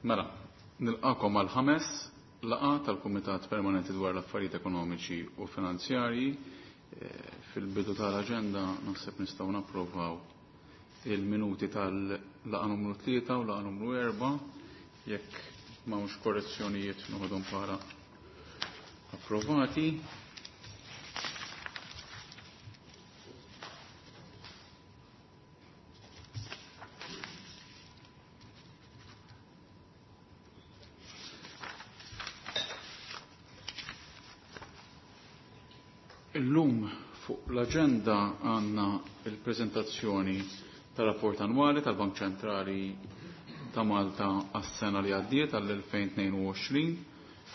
Mela, nilqakom għal ħames laqa tal-Kumitat Permanenti dwar l-Affarijiet Ekonomiċi u Finanzjarji. Fil-bidu tal-aġenda naħseb nistgħu napprovaw il-minuti tal-laqa numru 3 u laqa numru 4 jekk m'hawnx korrezzjonijiet noħodhom bħala approvati. Illum fuq l-agenda għanna il-prezentazzjoni tal-rapport annwali tal-Bank Ċentrali ta' Malta għas-sena li għaddiet għall-2022.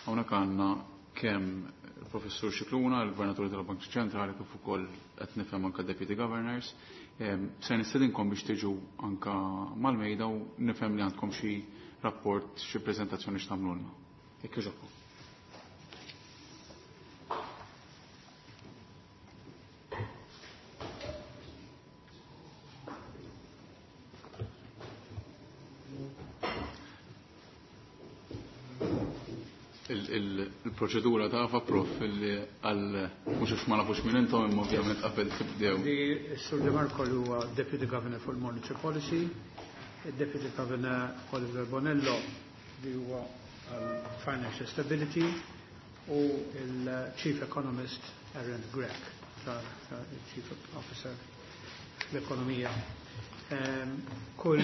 Hawnhekk għandna kemm il-Professur Scicluna, il-Gvernatur tal-Bank Ċentrali, kif ukoll qed nifhem anke Deputy Governors. Se nistedinkom biex tiġu anka mal-mejda u nifhem li għandkom xi rapport, xi prezentazzjoni x'tagħmlulna. Jekk jogħġobkom. Il-proċedura tafa, prof, li għal mhux għax ma nafux minn intom, imma ovvjament qabel tibdew. Li Sur De Marco li huwa Deputy Governor for Monetary Policy, Deputy Governor Oliver Bonello li huwa għal Financial Stability u il-Chief Economist Aaron Grech, Chief Officer l-Ekonomija. Kull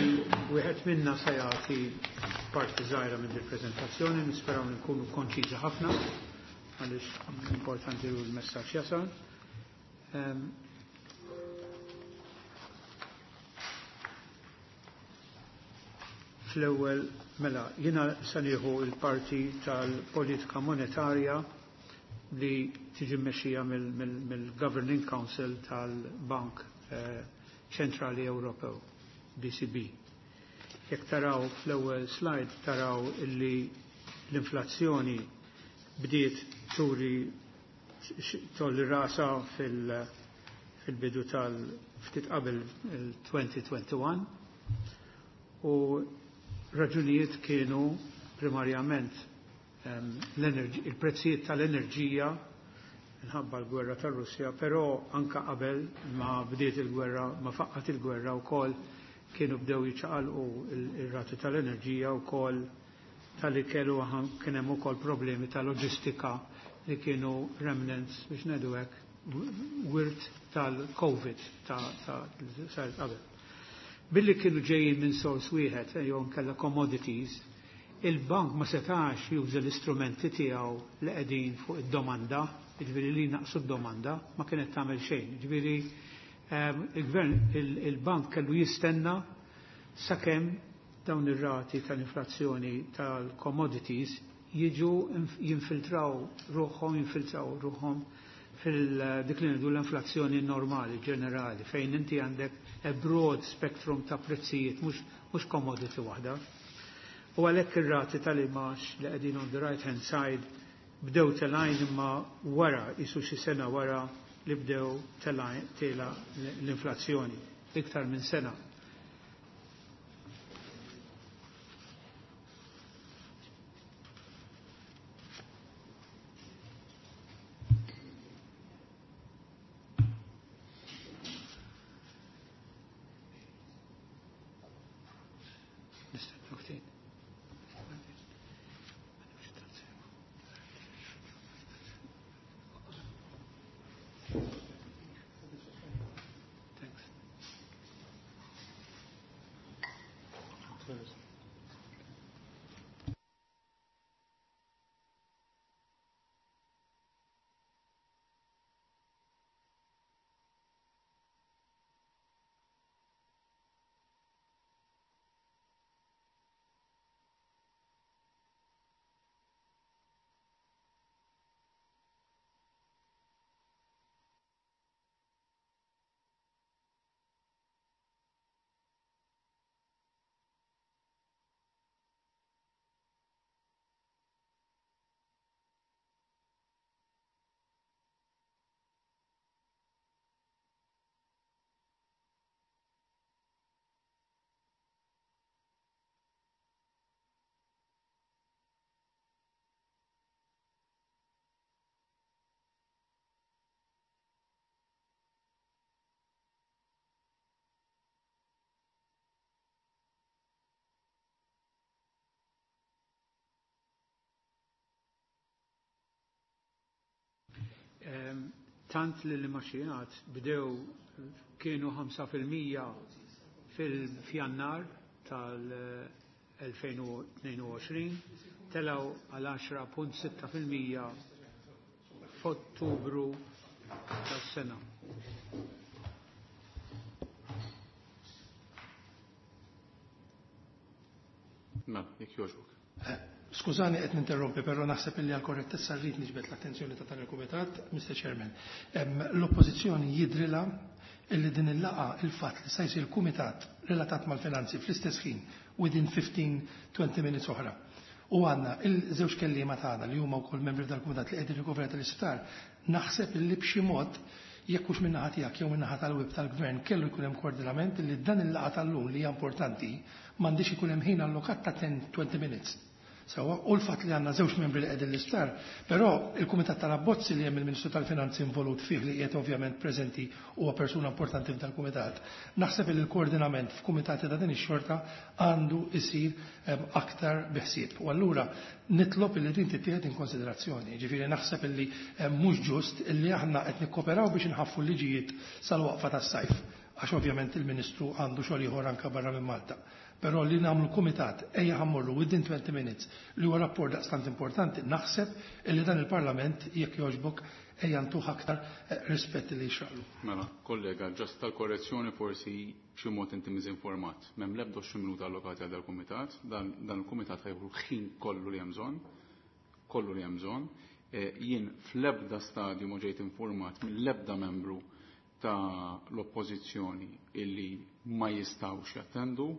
wieħed minna se jagħti parti żgħira minn il-preżentazzjoni, nisperaw li nkunu konċiżi ħafna għaliex importanti li l-messaġġ jasal. Fl-ewwel mela jiena se nieħu l-parti tal-politika monetarja li tiġi mmexxija mill-Governing Council tal-Bank Ċentrali Ewropew, BCB. Jekk taraw fl-ewwel slide taraw illi l-inflazzjoni bdiet turi tolli rasa fil-bidu tal-ftit qabel il-2021 u raġunijiet kienu primarjament il-prezzijiet tal-enerġija minħabba l-gwerra tar-Russja, però anka qabel ma bdiet il-gwerra, ma faqqat il-gwerra wkoll kienu bdew jiċaqalqu ir-rati tal-enerġija wkoll tal-ikel u kien hemm ukoll problemi ta' loġistika li kienu remnants biex ngħidu hekk wirt tal-Covid ta' saret qabel. Billi kienu ġejjin minn sors wieħed jew nkella commodities, il-bank ma setax juża l-istrumenti tiegħu li qegħdin fuq id-domanda, jiġifieri li naqsu d-domanda, ma kienet tagħmel xejn. Jiġifieri il-gvern, il-bank kellu jistenna sakemm dawn ir-rati tal-inflazzjoni tal-commodities jiġu jinfiltraw ruħhom, jinfiltraw ruħhom fil-dik li ngħidu l-inflazzjoni normali, ġenerali, fejn inti għandek a broad spectrum ta' prezzijiet, mhux commodity waħda. U għalhekk ir-rati tal-imax li qegħdin on the right hand side bdew telgħin imma wara, isu xi sena wara li bdew tela l-inflazzjoni, iktar minn sena. Tant li l-imgħaxijiet bdew kienu 5% fil-Fjannar tal-2022, telgħu għal 10.6% f'Ottubru tas-sena. Mela, jekk jogħġbok. Skużani qed ninterrompi, però naħseb illi għal korrettezza rrid niġbed l-attenzjoni ta' dan il-Kumitat, Mr. Chairman. L-Oppożizzjoni jidrilha illi din il-laqgħa il-fatt li se jsir kumitat relatat mal-finanzi fl-istess ħin within 15-20 minutes oħra. U għandna il-żewġ kelliema tagħna li huma wkoll membri tal-kumitat li qegħdin rikoverati l-isptar, naħseb illi b'xi mod jekk hux min-naħa tiegħek jew min-naħa tal-whip tal-Gvern kellu jkun hemm koordinament illi dan il-laqgħa tal-lum li hija importanti m'għandix ikun hemm ħin allokat ta' 10-20 minutes. Sewwa, u l-fatt li għandna żewġ membri li qegħdin l-isptar, però il-Kumitat tal-Abbozzi li hemm il-Ministru tal-Finanzi involut fih li qiegħed ovvjament preżenti huwa persuna importanti f'dal kumitat. Naħseb li l-koordinament f'kumitati ta' din ix-xorta għandu jsir aktar biħsieb. U allura nitlob li din tittieħed in konsiderazzjoni. Ġifieri naħseb li mhux ġust illi aħna qed nikkoperaw biex inħaffu l-liġijiet sal-waqfa tas-sajf, għax ovvjament il-Ministru għandu xogħol ieħor anke barra minn Malta. Però li nagħmlu kumitat ejja ħammorru within 20 minutes li huwa rapport daqstant importanti, naħseb illi dan il-Parlament jekk jogħġbok ejja ntuh aktar rispett li jixraqlu. Mela, kollega, ġast tal-korrezzjoni forsi b'xi mod inti miżinformat. M'hemm l-ebda 20 minuta allokati għal dal-kumitat, dan il-kumitat ħajħu ħin kollu li hemm bżonn, kollu li hemm bżonn. Jien fl-ebda stadju ma ġejt informat mill-ebda membru ta' l-oppożizzjoni illi ma jistgħux jattendu.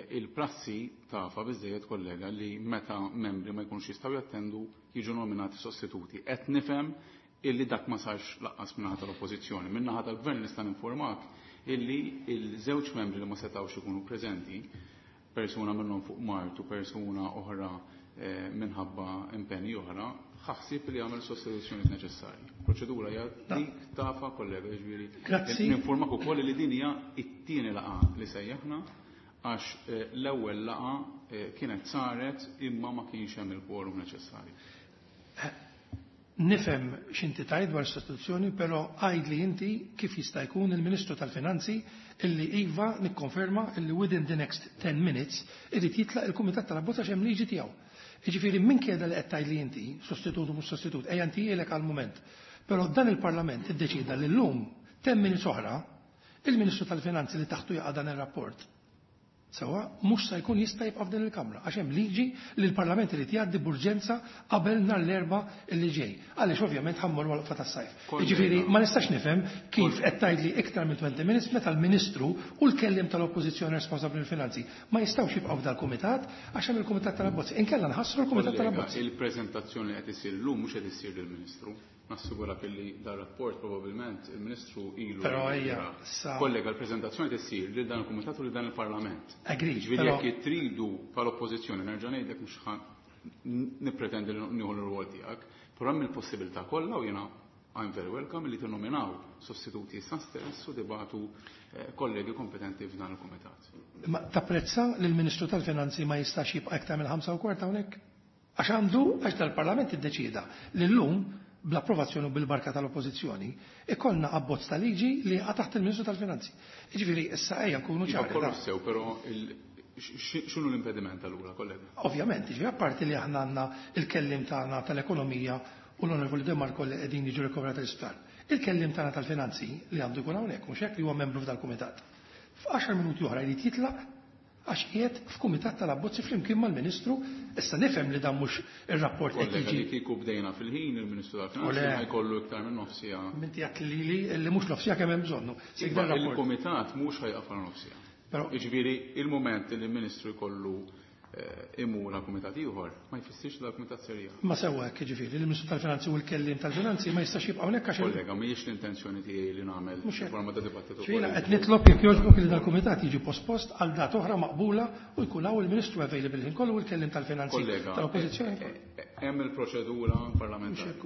Il-prassi tafa biżżejjed, kollega, li meta membri ma jkunux jistgħu jattendu jiġu nominati sostituti. Qed nifhem illi dak ma sarx laqqas min-naħa tal-oppożizzjoni. Min-naħa tal-gvern nista' ninformak illi il-żewġ membri li ma setgħux ikunu preżenti, persuna minnhom fuq Martu, persuna oħra minħabba impenji oħra, ħassib li għamel sostituzzjoni neċessarji. Proċedura hija dik tafa, kollega, jiġifieri. Grazzi. Ninformak ukoll li din hija t-tieni laqgħa li sejjaħna għax l-ewwel laqgħa kienet saret imma ma kienx hemm il-quorum neċessarju. Nifhem x'inti tgħid dwar sostituzzjoni, però għid li inti kif jista' jkun il-Ministru tal-Finanzi illi iva nikkonferma illi within the next 10 minutes irid jitlaq il-Kumitat tal-Abbozz għax hemm liġi tiegħu. Jiġifieri minn kieda li qed tgħid li inti sostitut u mhux sostitut, ejja inti ilek għall-mument. Però dan il-Parlament iddeċida li llum 10 minutes oħra il-Ministru tal-Finanzi li taħtu jaqa' dan ir-rapport Sewwa, mhux se jkun jista' jibqa' f'din il-Kamra għax hemm liġi li l-Parlament irid jgħaddi b'urġenza qabel nhar l-Erbgħa li ġej. Għaliex ovvjament ħammur waqfa tas-sajf. Jiġifieri ma nistax nifhem kif qed tgħidli iktar minn 20 minutes meta l-Ministru u l-kelliem tal-Oppożizzjoni responsabbli mill-finanzi ma jistgħux jibqgħu f'dal-kumitat għax hemm il-Kumitat tal-Abbozzi. Inkella nħassru l-Kumitat tal-Abbozzi. Il-preżentazzjoni li qed isir llum mhux qed issir lill-Ministru. Nassigura li dar rapport probabilment il-Ministru ilu. Però ejja, sa. Kollega, l-preżentazzjoni tissir lil dan il-Kumitat u lil dan il-Parlament. Agreed, Ġifieri però jekk tridu bħal-Oppożizzjoni nerġa' ngħidlek mhux ħa nippretendi li nieħu l-rwol tiegħek, però hemm il-possibilità kollha u jiena I'm very welcome li tinnominaw sostituti issa stess u tibagħtu kollegi kompetenti f'dan il-Kumitat. Ma tapprezza li l-Ministru tal-Finanzi ma jistax jibqa' iktar minn 5:15 hawnhekk? Għax għandu, għax dal-Parlament iddeċieda li llum bl-approvazzjoni u bil-barka tal-Oppożizzjoni, ikollna abbozz ta' liġi li jaqa' taħt il-Ministru tal-Finanzi. Jiġifieri issa ejja nkunu Iva, ċari. kollu sew, però x'inhu l-impediment allura, kollega? Ovvjament, jiġifieri apparti li aħna għandna il-kellim tagħna tal-ekonomija u l-Onorevoli De Marco li qegħdin jiġu rikoverati l-isptar. Il-kellim tagħna tal-finanzi li għandu jkun hawnhekk, mhux hekk li huwa membru f'dal-kumitat. F'għaxar minuti oħra jrid jitlaq għax qiegħed f'kumitat tal-abbozzi flimkien mal-Ministru. Issa nifhem li dan mhux ir-rapport qed Kollega, jiġi. li kieku bdejna fil-ħin il-Ministru tal-Finanzi Ole. ma jkollu iktar minn nofsija. Minti għedt li li mhux nofsija kemm hemm bżonnu. Sik dan Iva, rapport. Il-kumitat mhux ħajqaf għal nofsija. Però Jiġifieri il-mument li l-Ministru jkollu imur għal kumitat ieħor ma jfissirx li dal-kumitat ser jaqaf. Ma sewwa hekk, jiġifieri l-Ministru tal-Finanzi u l-kellim tal-Finanzi ma jistax jibqa' hawnhekk għax il- Kollega, mhijiex l-intenzjoni tiegħi li nagħmel Mhux hekk. forma ta' dibattitu Ġifieri politiku. qed nitlob jekk jogħġbok li dal-kumitat jiġi pospost għal dat oħra maqbula u jkun hawn il-Ministru available ħin kollu u l-kellim tal-Finanzi Kollega, tal-Oppożizzjoni. hemm il-proċedura parlamentari. Mhux hekk.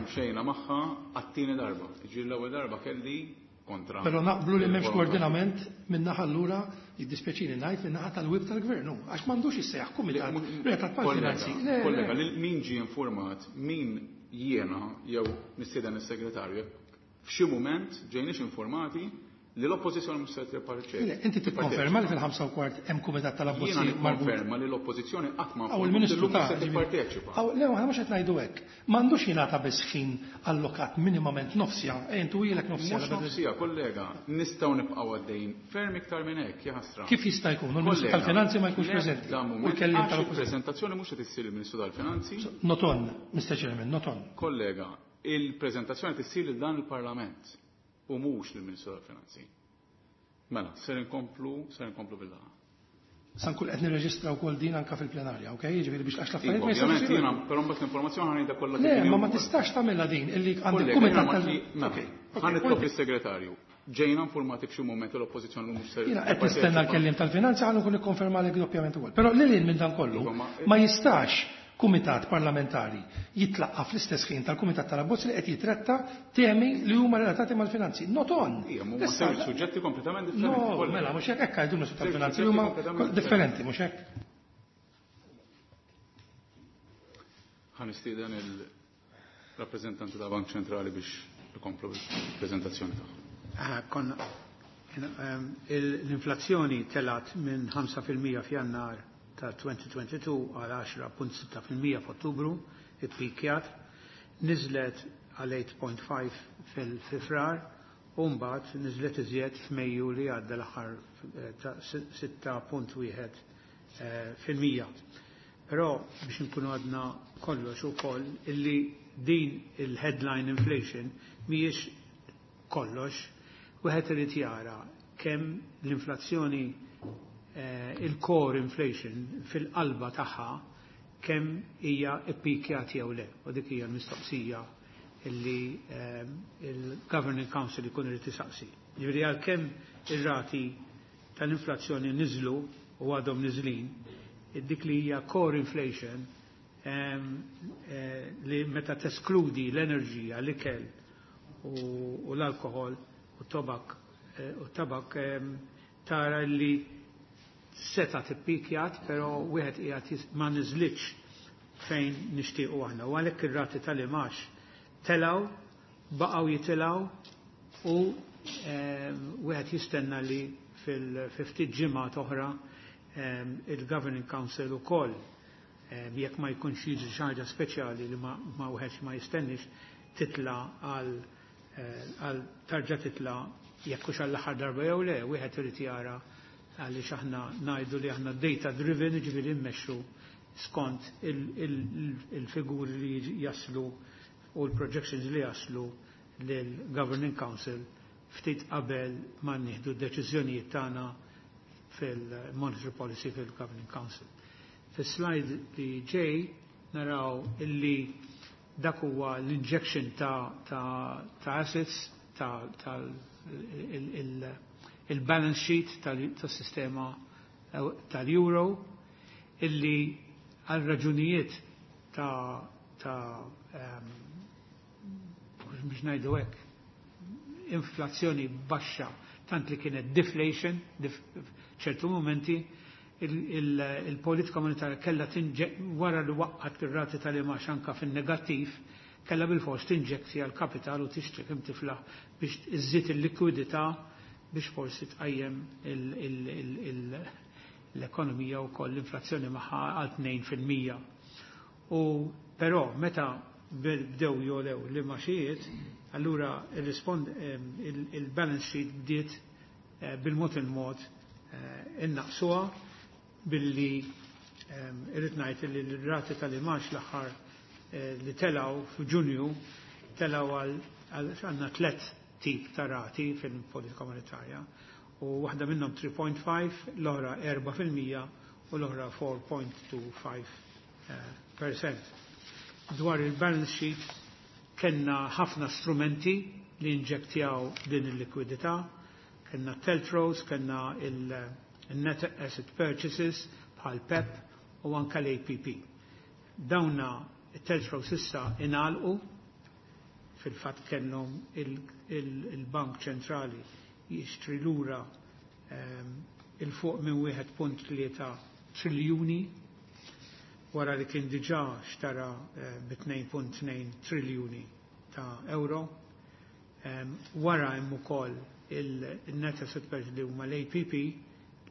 Imxejna magħha għat-tieni darba. Jiġifieri l-ewwel darba kelli kontra. Però naqblu li m'hemmx Il-volontà. koordinament min-naħa allura jiddispjaċini ngħid min-naħa tal-whip tal-gvern, hu, għax m'għandux jissejjaħ kumitat Le, relatat mal-finanzi. Kollega, Le, le. kollega, lil min ġie informat, min jiena jew nistieden is-segretarju jekk f'xi mument ġejniex informati li l-oppożizzjoni mhux se tipparteċipa. Le, inti tikkonferma li fil-5:15 hemm kumitat tal-abbozzi Jiena nikkonferma li l-oppożizzjoni qatt ma Aw il-Ministru ta' se tipparteċipa. Aw le, aħna mhux qed ngħidu hekk. M'għandux jingħata biss ħin allokat minimament nofsija, intu ilek nofsija. Mhux nofsija, kollega, nistgħu nibqgħu għaddejjin ferm iktar minn hekk, jaħasra. Kif jista' jkun? U l-Ministru tal-Finanzi ma jkunx preżenti. U l-kelliem tal-preżentazzjoni mhux qed issir il-Ministru tal-Finanzi. Not on, Mr. Chairman, not on. Kollega, il-preżentazzjoni tissir lil dan il-Parlament u mhux lill-Ministru tal-Finanzi. Mela, ser inkomplu, ser inkomplu bil-laqgħa. Sa nkun qed nirreġistra wkoll din anke fil-plenarja, ok? Jiġifieri biex għax l-affarijiet ma jistgħux. Ovvjament jiena, però mbagħad l-informazzjoni ħa ngħidha kollha kif Le, ma ma tistax tagħmilha din illi għandek kumitat tal. Ħa nitlob lis-segretarju. Ġejna informati f'xi mument l-oppożizzjoni mhux ser. Jiena qed nistenna l-kelliem tal-finanzi ħa nkun nikkonfermalek doppjament ukoll. Però lil hinn minn dan kollu ma jistax kumitat parlamentari jitlaqqa fl-istess ħin tal-kumitat tal-abbozz li qed jitratta temi li huma relatati mal-finanzi. Not on. Ija, huma żewġ suġġetti kompletament differenti. No, mela, mhux hekk hekk għidu Ministru tal-Finanzi li huma differenti, mhux hekk. Ħa nistieden il-rappreżentanti tal-Bank Ċentrali biex ikomplu bil-preżentazzjoni tagħhom. Konna l-inflazzjoni telgħet minn 5% f'Jannar ta' 2022 għal 10.6% f'Ottubru, ippikjat, niżlet għal 8.5 fi Frar u mbagħad niżlet iżjed f'Mejju li għadda l-aħħar ta' 6.1 fil-mija. Però biex nkunu għadna kollox ukoll illi din il-headline inflation mhijiex kollox, wieħed irid jara kemm l-inflazzjoni il-core inflation fil-qalba tagħha kemm hija ippikjat jew le. U dik hija l-mistoqsija illi il-Governing Council ikun irid isaqsi. Ġifieri għalkemm ir-rati tal-inflazzjoni niżlu u għadhom niżlin, dik li hija core inflation li meta teskludi l-enerġija, l-ikel u l-alkohol u tobak u tabak tara li seta tippikjat, però wieħed qiegħed ma niżlitx fejn nixtiequ aħna. U għalhekk ir-rati tal-imax telgħu, baqgħu jitilgħu u wieħed jistenna li fil-ftit ġimgħat oħra il-Governing Council ukoll jekk ma jkunx jiġri xi ħaġa speċjali li ma wieħed ma jistennix titla għal għal tarġa' titla jekk hux għall-aħħar darba jew le, wieħed irid jara għaliex aħna ngħidu li aħna data driven, ġifieri mmexxu skont il-figuri li jaslu u l-projections li jaslu lill-Governing Council ftit qabel ma nieħdu d-deċiżjonijiet tagħna fil-Monetary Policy fil-Governing Council. Fis-slide li ġej naraw illi dak huwa l-injection ta', ta, ta assets ta', ta il-balance sheet tas-sistema tal-euro illi għal raġunijiet ta' biex ngħidu hekk inflazzjoni baxxa tant li kienet deflation ċertu momenti il-politika monetarja kellha wara li waqqat ir-rati tal-imax anka fin-negattiv kellha bil-fors tinġezzja l-kapital u tixtri kemm tiflaħ biex iżżid il-likwidità biex forsi tqajjem l-ekonomija u koll l-inflazzjoni magħha għal 2%. U però meta bdew jolew l-imaxijiet, allura il-balance sheet bdiet bil-mod il-mod innaqsuha billi irrid ngħid li l-rati tal-imax l-aħħar li telgħu f'Ġunju telgħu għal għandna tliet tip ta' rati fil-politika monetarja u waħda minnhom 3.5, l-oħra 4% u l-oħra 4.25%. Dwar il-balance sheet kellna ħafna strumenti li inġektjaw din il-likwidità, kellna TLTROs, kellna il-net asset purchases bħal PEP u anka l-APP. Dawna it-TLTROs issa ingħalqu, fil-fatt kellhom il-Bank Ċentrali jixtri lura il-fuq minn 1.3 triljuni wara li kien diġà xtara bi 2.2 triljuni ta' euro. Wara hemm ukoll il-net asset pledge li huma l-APP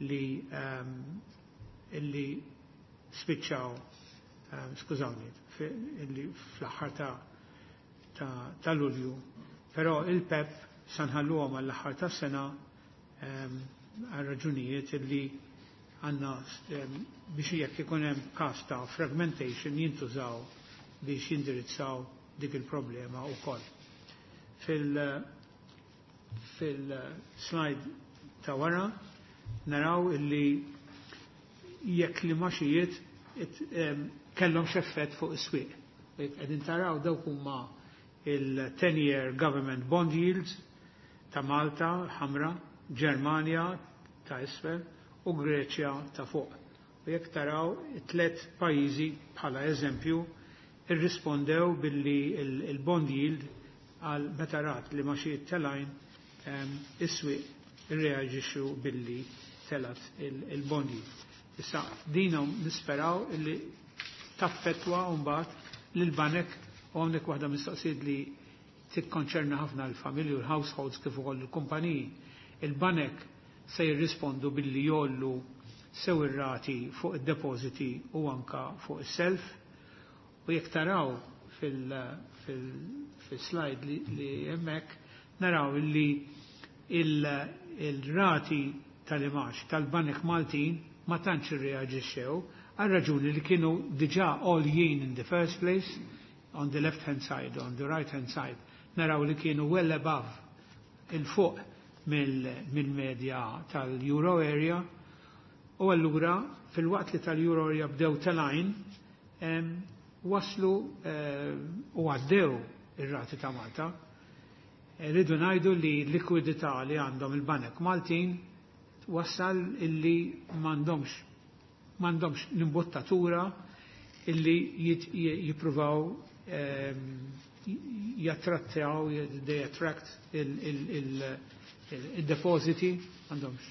li illi spiċċaw, skużawni, illi fl-aħħar ta' Lulju. Però il-PEP sa nħalluhom għall-aħħar tas-sena għal raġunijiet illi għandna biex jekk ikun hemm każ ta' fragmentation jintużaw biex jindirizzaw dik il-problema wkoll. Fil-slide ta' wara naraw illi jekk l-imgħaxijiet kellhom x'effett fuq is-swieq. Qegħdin taraw dawk huma il-10-year government bond yields ta' Malta ħamra, Ġermanja ta' isfel u Greċja ta' fuq. U jekk taraw it-tlet pajjiżi bħala eżempju irrispondew billi il-bond yield għal meta rat li l-imgħaxijiet telgħin, is-swieq irreaġixxu billi telgħet il-bond yield. Issa dinhom nisperaw illi taffettwa mbagħad lil banek u hawnhekk waħda mistoqsijiet li tikkonċerna ħafna l-familji u l-households kif ukoll il-kumpaniji. Il-banek se jirrispondu billi jgħollu sew ir-rati fuq id-depositi u anka fuq is-self. U jekk taraw fil-slide li hemmhekk naraw li il-rati tal-imgħax tal-banek Maltin ma tantx irreaġixxew għal raġuni li kienu diġà għoljin in the first place on the left hand side, on the right hand side, naraw li kienu well above, il-fuq mill-medja tal-Euro area, u allura fil-waqt li tal-Euro area bdew telgħin, waslu u għaddew ir-rati ta' Malta. Rridu ngħidu li l-likwidità li għandhom il-banek Maltin wassal illi m'għandhomx l-imbottatura illi jippruvaw jattrattaw, they attract il-depositi, għandhomx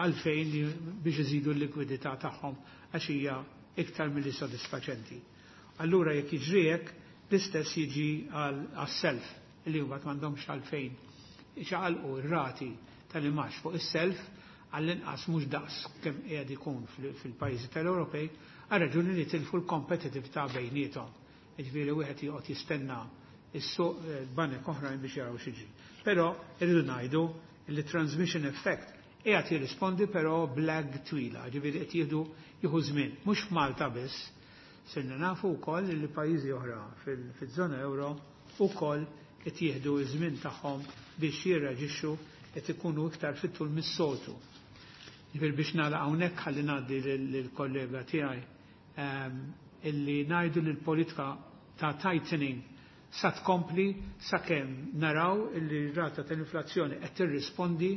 għalfejn biex iżidu l-likwidità tagħhom għax hija iktar milli sodisfaċenti. Allura jekk jiġri hekk, l-istess jiġi għas-self li mbagħad m'għandhomx għalfejn iċaqalqu r-rati tal-imgħax fuq is-self, għall-inqas mhux daqs kemm qiegħed ikun fil-pajjiżi tal-Ewropej, għal raġuni li tilfu l-kompetitività bejniethom. Jiġifieri wieħed joqgħod jistenna is-suq, banek oħrajn biex jaraw x'jiġri. Però irridu ngħidu li transmission effect qiegħed jirrispondi però b'lag twila, ġifieri qed jieħdu jieħu żmien, mhux f'Malta biss, sirna nafu wkoll li pajjiżi oħra fiż-żona euro wkoll qed jieħdu ż-żmien tagħhom biex jirreaġixxu, qed ikunu iktar fit-tul mis-soltu. Ġifieri biex nagħlaq hawnhekk ħalli ngħaddi lill-kollega tiegħi, illi ngħidu li l-politika ta' tightening sa tkompli sakemm naraw illi r-rata tal-inflazzjoni qed tirrispondi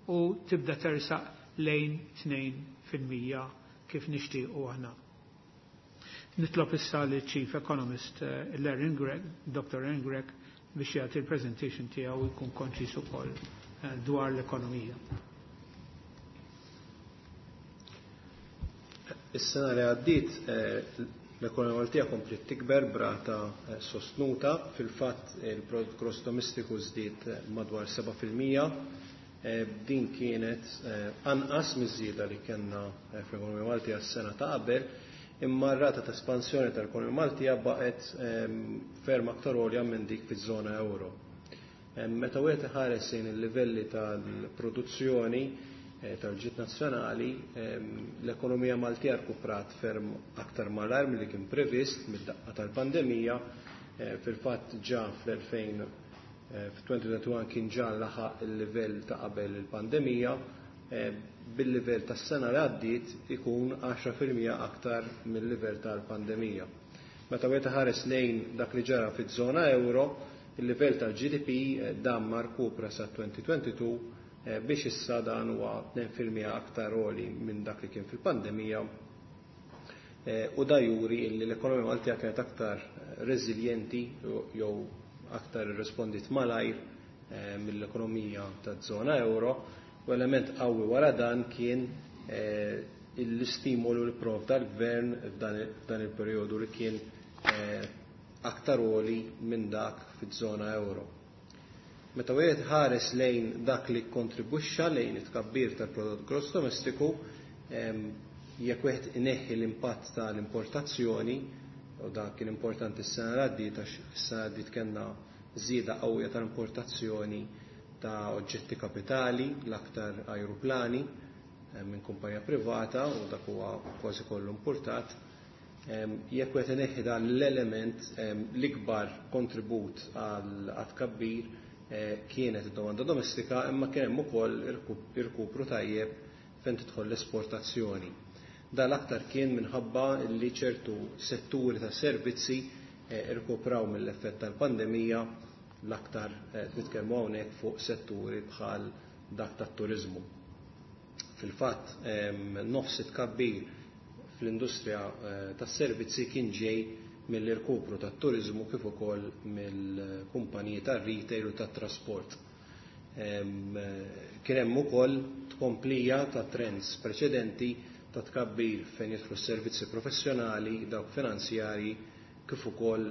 u tibda tersaq lejn 2% kif nixtiequ aħna. Nitlob issa li Chief Economist Larry Grech, Dr. Aaron Grech, biex jagħti il-presentation tiegħu jkun konċis ukoll dwar l-ekonomija. Is-sena li għaddiet l-ekonomija Maltija kompliet tikber b'rata sostnuta, fil-fatt il-prodott gross domestiku żdied madwar 7%. Din kienet anqas miż-żieda li kellna fl-ekonomija Maltija s-sena ta' qabel, imma r-rata ta' espansjoni tal-ekonomija Maltija baqgħet ferm aktar għolja minn dik fiż-żona euro. Meta wieħed iħares lejn il-livelli tal-produzzjoni tal-ġid nazzjonali, l-ekonomija Maltija rkuprat ferm aktar malajr milli kien previst mid-daqqa tal-pandemija. Fil-fatt ġa fl-2000 f-2021 kien ġa laħaq il-livell ta' qabel il-pandemija, bil-livell tas-sena li għaddiet ikun 10% aktar mill-livell tal-pandemija. Meta wieħed ħares lejn dak li ġara fiż-żona euro, il-livell tal-GDP dam ma rkupra sa 2022, biex issa dan huwa 2% aktar għoli minn dak li kien fil-pandemija, u da juri li l-ekonomija Maltija kienet aktar reżiljenti jew aktar irrespondit malajr mill-ekonomija taż-żona euro, u element qawwi wara dan kien l-istimolu li provda l-gvern f'dan il-perjodu li kien aktar għoli minn dak fiż-żona euro. Meta wieħed ħares lejn dak li kontribwixxa lejn it-tkabbir tal-prodott gross domestiku, jekk wieħed ineħħi l-impatt tal-importazzjoni, u dak kien importanti s-sena li għaddiet għax is-sena li għaddiet kellna żieda qawwija tal-importazzjoni ta' oġġetti kapitali, l-aktar ajruplani minn kumpanija privata u dak huwa kważi kollu importat. Jekk wieħed ineħħi dan l-element, l-ikbar kontribut għal tkabbir kienet id-domanda domestika, imma kien hemm ukoll irkupru tajjeb fejn tidħol l-esportazzjoni. Dan l-aktar kien minħabba li ċertu setturi ta' servizzi irkupraw mill-effett tal-pandemija, l-aktar nitkellmu hawnhekk fuq setturi bħal dak tat-turiżmu. Fil-fatt, nofs it-tkabbir fl-industrija tas-servizzi kien ġej mill-irkupru tat-turiżmu kif ukoll mill-kumpaniji tar-retail u tat-trasport. Kien hemm ukoll tkomplija ta' trends preċedenti ta' tkabbir fejn jidħlu s-servizzi professjonali, dawk finanzjarji, kif ukoll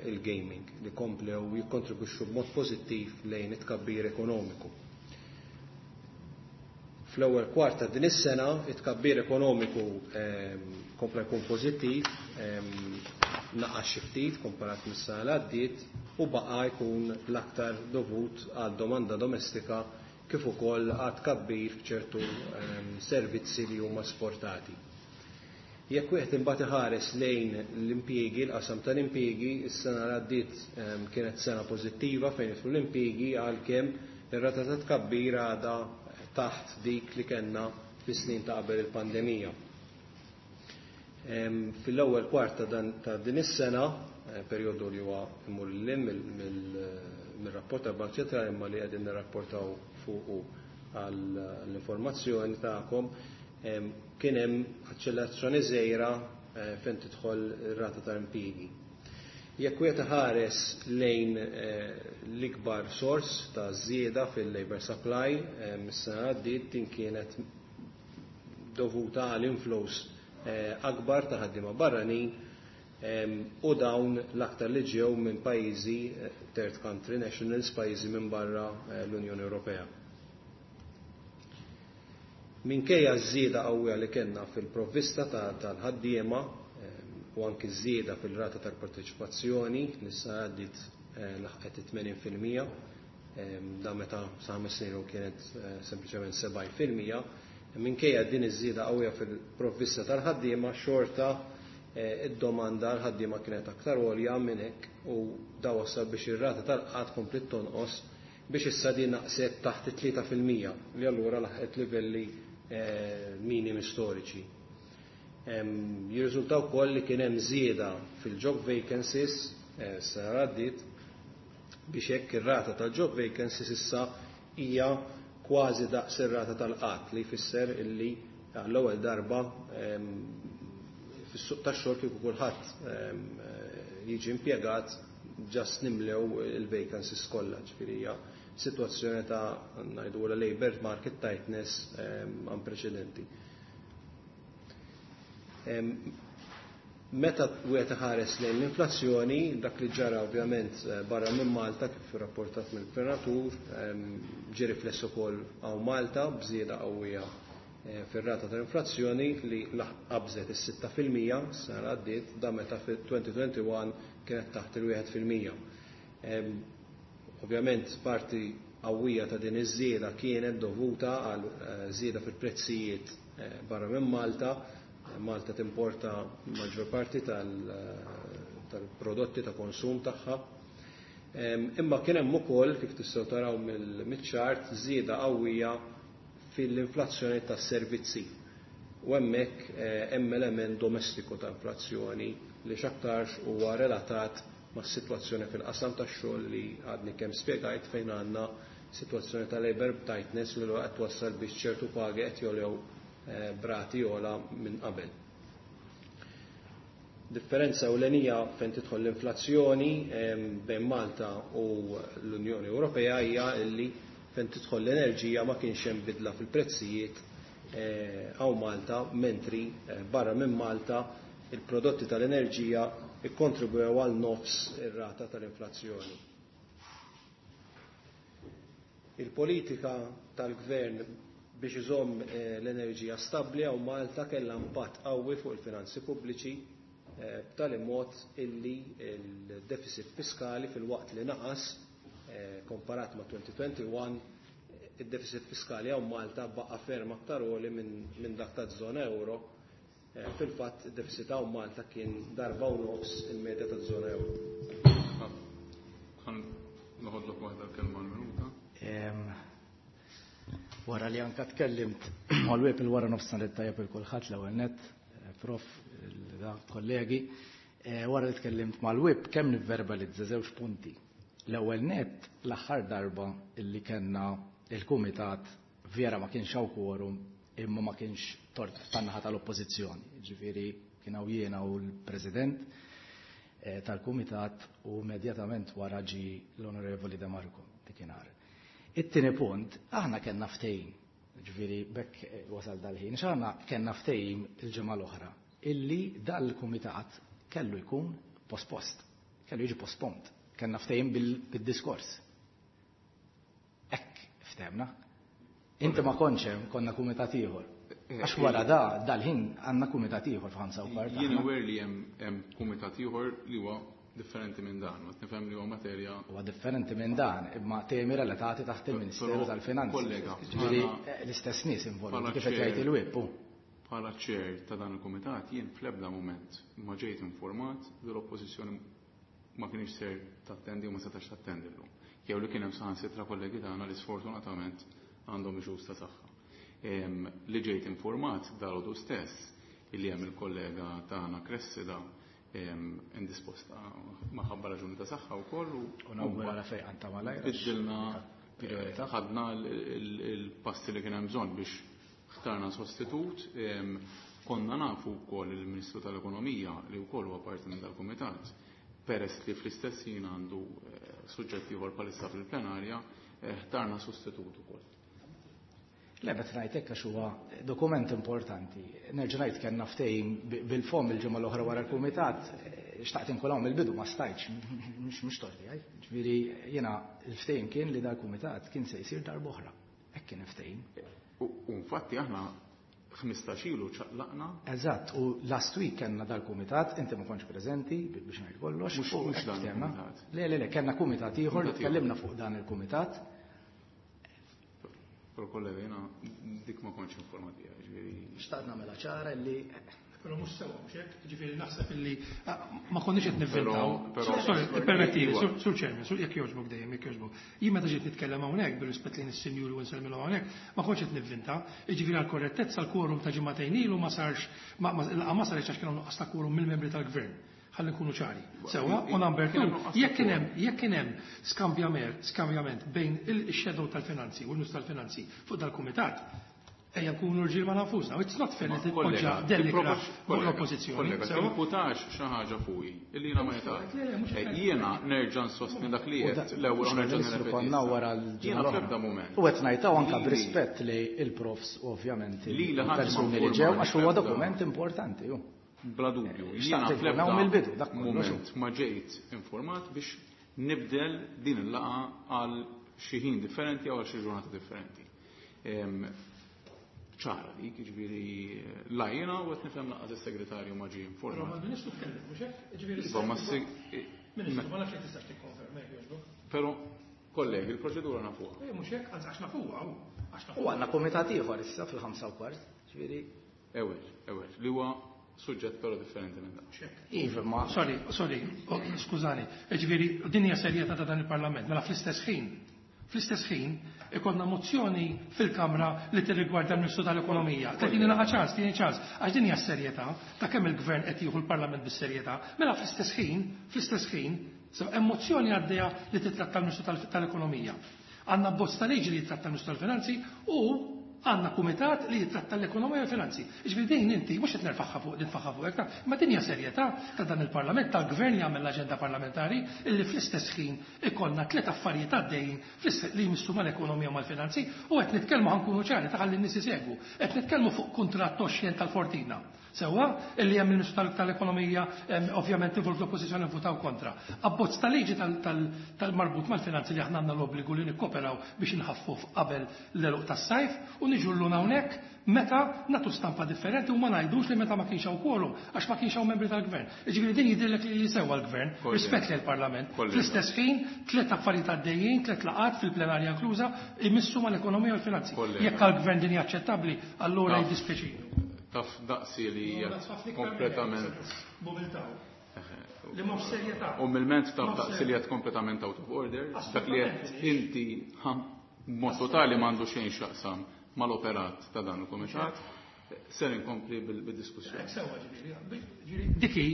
il-gaming li komplew jikkontribwixxu b'mod pożittiv lejn it-tkabbir ekonomiku. Fl-ewwel kwart ta' din is-sena, it-tkabbir ekonomiku kompla jkun pożittiv, naqas xi ftit komparat mis-sena li għaddiet u baqa' jkun l-aktar dovut għad domanda domestika kif ukoll għad tkabbir f'ċertu servizzi li huma esportati. Jekk wieħed imbagħad iħares lejn l-impjiegi, l-qasam tal-impjiegi, is-sena li għaddiet kienet sena pożittiva fejn jidħlu l-impjiegi, għalkemm ir-rata ta' tkabbir għadha taħt dik li kellna fis-snin ta' qabel il-pandemija. Fil-ewwel kwart ta' din is-sena, perjodu li huwa imur lil mir-rapport tal-Bank Ċentrali imma li qegħdin nirrapportaw fuqu għall-informazzjoni tagħkom, kien hemm aċċellerazzjoni żgħira fejn tidħol ir-rata ta' impjiegi. Jekk wieħed iħares lejn l-ikbar sors ta' żieda fil-labor supply mis-sena għaddiet, din kienet dovuta għal inflows akbar ta' ħaddiema barranin u dawn l-aktar li ġew minn pajjiżi third country nationals, pajjiżi minn barra l-Unjoni Ewropea. Minkejja ż-żieda qawwija li kellna fil-provvista tal-ħaddiema u anki ż-żieda fil-rata tal-parteċipazzjoni li s-sena għaddiet laħqet 80%, da meta sa 5 snin u kienet sempliċement 70%, minkejja din iż-żieda qawwija fil-provvista tal-ħaddiema, xorta id-domanda għal-ħaddiema kienet aktar għolja minn hekk u da wassal biex ir-rata tal-qgħad kompliet tonqos biex issa din naqset taħt it-3%, li allura laħqet livelli minimi storiċi. Jirriżulta wkoll li kien hemm żieda fil-job vacancies sena għaddiet, biex hekk ir-rata tal-job vacancies issa hija kważi daqs ir-rata tal-qgħad, li jfisser illi għall-ewwel darba fis-suq tax-xogħol kieku kulħadd jiġi impjegat just nimlew il-vacancies kollha, ġifieri hija sitwazzjoni ta' ngħidu labor market tightness unprecedented. Meta wieħed iħares lejn l-inflazzjoni, dak li ġara ovvjament barra minn Malta kif rapportat mill-gvernatur, ġie rifless ukoll hawn Malta b'żieda qawwija fir-rata tal-inflazzjoni li qabżet is-6% sena li għaddiet, da meta fil-2021 kienet taħt il-1%. Ovvjament parti qawwija ta' din iż-żieda kienet dovuta għal żieda fil-prezzijiet barra minn Malta. Malta timporta maġġor parti tal-prodotti ta' konsum tagħha. Imma kien hemm ukoll, kif tistgħu taraw mill-ċart, żieda qawwija fil-inflazzjoni tas-servizzi. U hemmhekk hemm element domestiku ta' inflazzjoni li x'aktarx huwa relatat mas-sitwazzjoni fil-qasam tax-xogħol li għadni kemm spjegajt, fejn għandna sitwazzjoni ta' labor tightness li qed twassal biex ċertu pagi qed jogħlew b'rati ogħla minn qabel. Differenza ewlenija fejn tidħol l-inflazzjoni bejn Malta u l-Unjoni Ewropea hija li fejn tidħol l-enerġija ma kienx hemm bidla fil-prezzijiet. hawn Malta, mentri barra minn Malta il-prodotti tal-enerġija ikkontribwew għal nofs ir-rata tal-inflazzjoni. Il-politika tal-gvern biex iżomm l-enerġija stabbli hawn Malta kellha impatt qawwi fuq il-finanzi pubbliċi, b'tali mod illi l-deficit fiskali filwaqt li naqas komparat ma' 2021, id-deficit fiskali hawn Malta baqa' ferm aktar għoli minn dak taż-żona euro. Fil-fatt, id-deficit hawn Malta kien darba u nofs il-medja taż-żona euro. Ħa noħodlok waħda l-kelma l-minuta. Wara li anka tkellimt mal-web il-wara nofsinhar it-tajjeb il kulħadd, l-ewwel nett, prof, kollegi, wara li tkellimt mal-whip kemm nivverbalizza żewġ punti. L-ewwel nett, l-aħħar darba illi kellna il-kumitat vera ma kienx hawn quorum, imma ma kienx tort tan-naħa tal-oppożizzjoni. Ġifieri kien hawn jiena u l-President tal-kumitat u immedjatament wara ġi l-Onorevoli De Marco dikinhar. It-tieni punt, aħna kellna ftehim, ġifieri bekk wasal dal-ħin, x'aħna kellna ftehim il-ġimgħa l-oħra illi dal-kumitat kellu jkun pospost, kellu jiġi postponed, kellna ftehim bil-diskors. Hekk ftehemna. Inti ma kontx hemm, konna kumitat ieħor. Għax wara da dal-ħin għandna kumitat ieħor f'5:15. Jien aware li hemm kumitat ieħor li huwa differenti minn dan, ma nifhem li huwa materja. Huwa differenti minn dan, imma temi relatati taħt il-Ministeru tal-Finanzi. Kollega, Ġifieri l-istess nies involuti kif qed jgħid il-whip. Bħala chair ta' dan il-kumitat jien fl-ebda mument ma ġejt informat li l-oppożizzjoni ma kienx ser tattendi u ma setax tattendi llum. Jew li kien hemm saħansitra kollegi tagħna li sfortunatament għandhom issues ta' saħħa. Li ġejt informat dalgħodu stess illi hemm il-kollega tagħna Cressida indisposta maħabba raġuni ta' saħħa wkoll u U nawgura fejn ta' malajr. Biddilna Priorità. ħadna il-passi li kien hemm bżonn biex ħtarna sostitut. Konna nafu wkoll il-Ministru tal-Ekonomija li wkoll huwa parti minn dal-Kumitat, peress li fl-istess ħin għandu suġġetti ieħor bħalissa fil-plenarja, ħtarna sostitut ukoll. Le, bet ngħid hekk għax huwa dokument importanti. Nerġa' ngħid kellna ftehim bil-fom il-ġimgħa l-oħra wara l-kumitat, xtaqt inkun hawn mill-bidu ma stajtx, mhux torti għaj. Ġifieri jiena l-ftehim kien li dal-kumitat kien se jsir darb'oħra. Hekk kien ftehim. U infatti aħna 15 ilu ċaqlaqna. Eżatt, u last week kellna dal-kumitat, inti ma kontx preżenti biex ngħid kollox. Mhux u mhux hekk dan ftehemna. il-kumitat. Le, le, le, kellna kumitat ieħor li Kumitat ieħor. tkellimna fuq dan il-kumitat. Però kollega, jiena dik ma kontx informat biha, ġifieri. Xtaqt nagħmilha ċara li Però mhux sewa, mhux hekk, ġifieri naħseb illi ma konniex qed nivvintaw. Però Sorry, permettili, Iva. Sur Chairman, sur jekk jogħġbok dejjem, jekk jogħġbok. Jien meta ġiet nitkellem hawnhekk bir-rispett lejn is-sinjuri u nsellmilhom hawnhekk, ma kontx qed nivvinta. Jiġifieri għall-korrettezza l-quorum ta' ġimagħtejn ilu ma sarx, ma sarx għax kien hawn nuqqas ta' quorum mill-membri tal-gvern. Ħalli nkunu ċari. Sewa, u number Kien two, hemm nuqqas ta' jekk kien quorum. hemm, jekk kien hemm skambjament bejn il-shadow tal-finanzi u l-Ministru tal-Finanzi fuq dal-kumitat, ejja nkunu rġiel ma' nafusna. It's not fair li Ma titpoġġa kollega, dellikra tipprovax- fuq kollega, l-oppożizzjoni. Kollega, Sewa? timputax xi ħaġa fuqi illi jiena ma jgħid. Le, le, mhux qed Jiena nerġa' nsostni dak li U qed l-ewwel u mhux nerġa' l-Ministru nirrepeti konna issa. wara l-ġimgħa Jiena l-oħra. fl-ebda mument. U qed ngħidha anke b'rispett li il-profs ovvjament Li li ħadd ma il-persuni li ġew informani għax huwa fl-ebda. dokument importanti ju. Bla dubju, Xtaqt jiena inkun fl-ebda hawn mill-bidu, dak kollox. mument ma ġejt informat biex nibdel din il-laqgħa għal xi ħin differenti jew għal xi ġurnata differenti. Ċara dik, ġifieri la jiena u qed nifhem laqgħa is-segretarju ma ġie Però informat. mal-Ministru tkellem, mhux hekk? Ġifieri Iva, ma Ministru, ma nafx jekk tistax tikkonferma jekk jogħġbok. Però, kollegi, il-proċedura nafuha. Mhux hekk, anzi għax nafuha, hu, għax nafuha. U għandna kumitat ieħor issa fil-5:15, ġifieri. Ewel, ewel, li huwa suġġett però differenti minn dan. Iva, ma Sorry, sorry, oh, skużani. Ġifieri, din hija serjetà ta' dan il-Parlament. Mela fl-istess ħin ikollna mozzjoni fil-Kamra li tirrigwarda l-Ministru tal-Ekonomija. Tini naqa ċans, tini ċans. Għax din hija serjetà ta' kemm il-Gvern qed jieħu l-Parlament bis-serjetà. Mela fl-istess ħin, so, hemm mozzjoni għaddejja li titratta l-Ministru tal-Ekonomija. Għandna bosta liġi li titratta l-Ministru tal-Finanzi u Għandna kumitat li jitratta l-ekonomija u l-finanzi. Jiġifieri din inti mhux qed nerfagħha fuq nitfagħha fuqek ta' imma din hija serjetà ta' dan il-Parlament, tal-Gvern li jagħmel l-aġenda parlamentari illi fl-istess ħin ikollna tliet affarijiet għaddejjin li jmissu mal-ekonomija u mal-finanzi u qed nitkellmu ħa nkunu ċari ta' ħalli n-nies isegwu. Qed nitkellmu fuq kuntratt oxxen tal-Fortina. Sewwa, illi hemm il-Ministru tal-Ekonomija ovvjament involut l-Oppożizzjoni vvutaw kontra. Abbozz ta' liġi tal-marbut mal-finanzi li aħna għandna l-obbligu li nikkoperaw biex inħaffu qabel l-għeluq tas-sajf u niġu llum hawnhekk meta nagħtu stampa differenti u ma ngħidux li meta ma kienx hawn quorum għax ma kienx hawn membri tal-Gvern. Jiġifieri din jidhirlek li sewwa l-Gvern, rispett lejn il-Parlament. Fl-istess ħin tliet affarijiet għaddejjin, tliet laqgħat fil-plenarja inkluża, imissu mal-ekonomija u l-finanzi. Jekk għall-Gvern din hija aċċettabbli, allura jiddispjaċini. Taf daqsi li hija kompletament. B'umiltà. Li mhux serjetà. Umilment taf daqsi li qed kompletament out of order. Dak li qed inti b'mod totali m'għandu xejn x'jaqsam mal-operat ta' dan il-kumitat. Ser inkompli bid-diskussjoni. Sewwa ġifieri, dik hi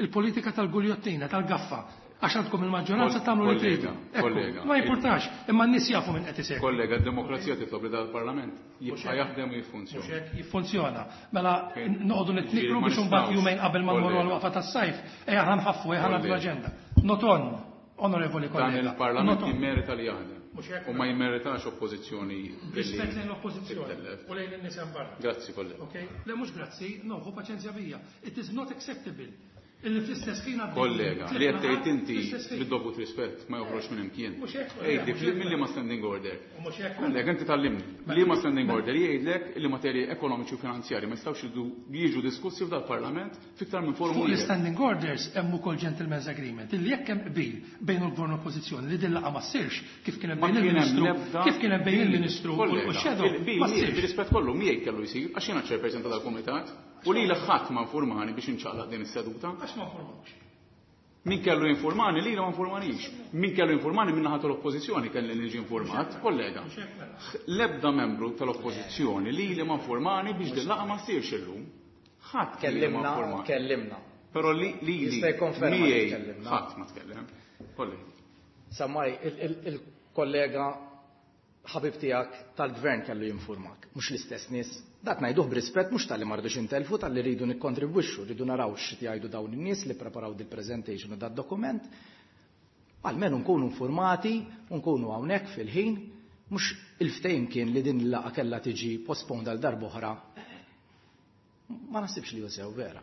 l-politika tal-guljottina, tal-gaffa. Għax għandkom il-maġġoranza tagħmlu li tridu. Kollega. Ma jimpurtax, imma n-nies jafu minn qed isegwi. Kollega, d-demokrazija titlob li dal-Parlament jibqa' jaħdem u jiffunzjona. Mhux hekk, jiffunzjona. Mela noqogħdu nitnikru biex imbagħad jumejn qabel ma nmorru għall-waqfa tas-sajf, ejja ħa nħaffu, ejja ħa nagħdu l-aġenda. Not on, onorevoli kollega. Dan il-Parlament jimmerita li jaħdem. U ma jimmeritax oppożizzjoni. Rispett lejn l-oppożizzjoni u lejn in-nies hemm barra. Grazzi, kollega. Okay? Le mhux grazzi, no, ħu paċenzja bija. It is not acceptable. Illi fl-istess ħin għaddej. Kollega, li qed tgħid inti bid-dovut rispett ma joħroġ minn imkien. Mhux hekk, Ejdi, milli ma standing order. Kollega, inti tallimni. Li ma standing order jgħidlek li materji ekonomiċi u finanzjari ma jistgħux jiġu diskussi f'dal-Parlament fiktar minn forum Fuq l-standing orders hemm ukoll gentleman's agreement illi jekk hemm qbil bejn il-gvern u l-oppożizzjoni li din laqgħa ma ssirx kif kien hemm bejn il-Ministru kif kien hemm bejn il-Ministru u x-shadow ma ssirx. Bir-rispett kollu miegħi kellu jsir għax jiena chairperson ta' dal-kumitat. U lili ħadd ma informani biex inċaqlaq din is-seduta. Għax ma informawx. Min kellu jinformani lili ma informanix. Min kellu jinformani min naħa tal-oppożizzjoni kelli niġi informat, kollega. L-ebda membru tal-oppożizzjoni lili ma informani biex din laqgħa ma ssirx illum. Ħadd kellimna, kellimna. Però li li miegħi ħadd ma tkellem. Kollega. Samaj, il-kollega ħabib tiegħek tal-gvern kellu jinformak, mhux l-istess nies. Dak ngħiduh b'rispett mhux talli ma rridux intelfu, talli rridu nikkontribwixxu, rridu naraw x'qed jgħidu dawn in-nies li preparaw dil-presentation u dad-dokument. Almenu nkunu informati u nkunu hawnhekk fil-ħin, mhux il-ftehim kien li din il-laqgħa kellha tiġi postponed għal darb'oħra. Ma naħsibx li hu sew vera.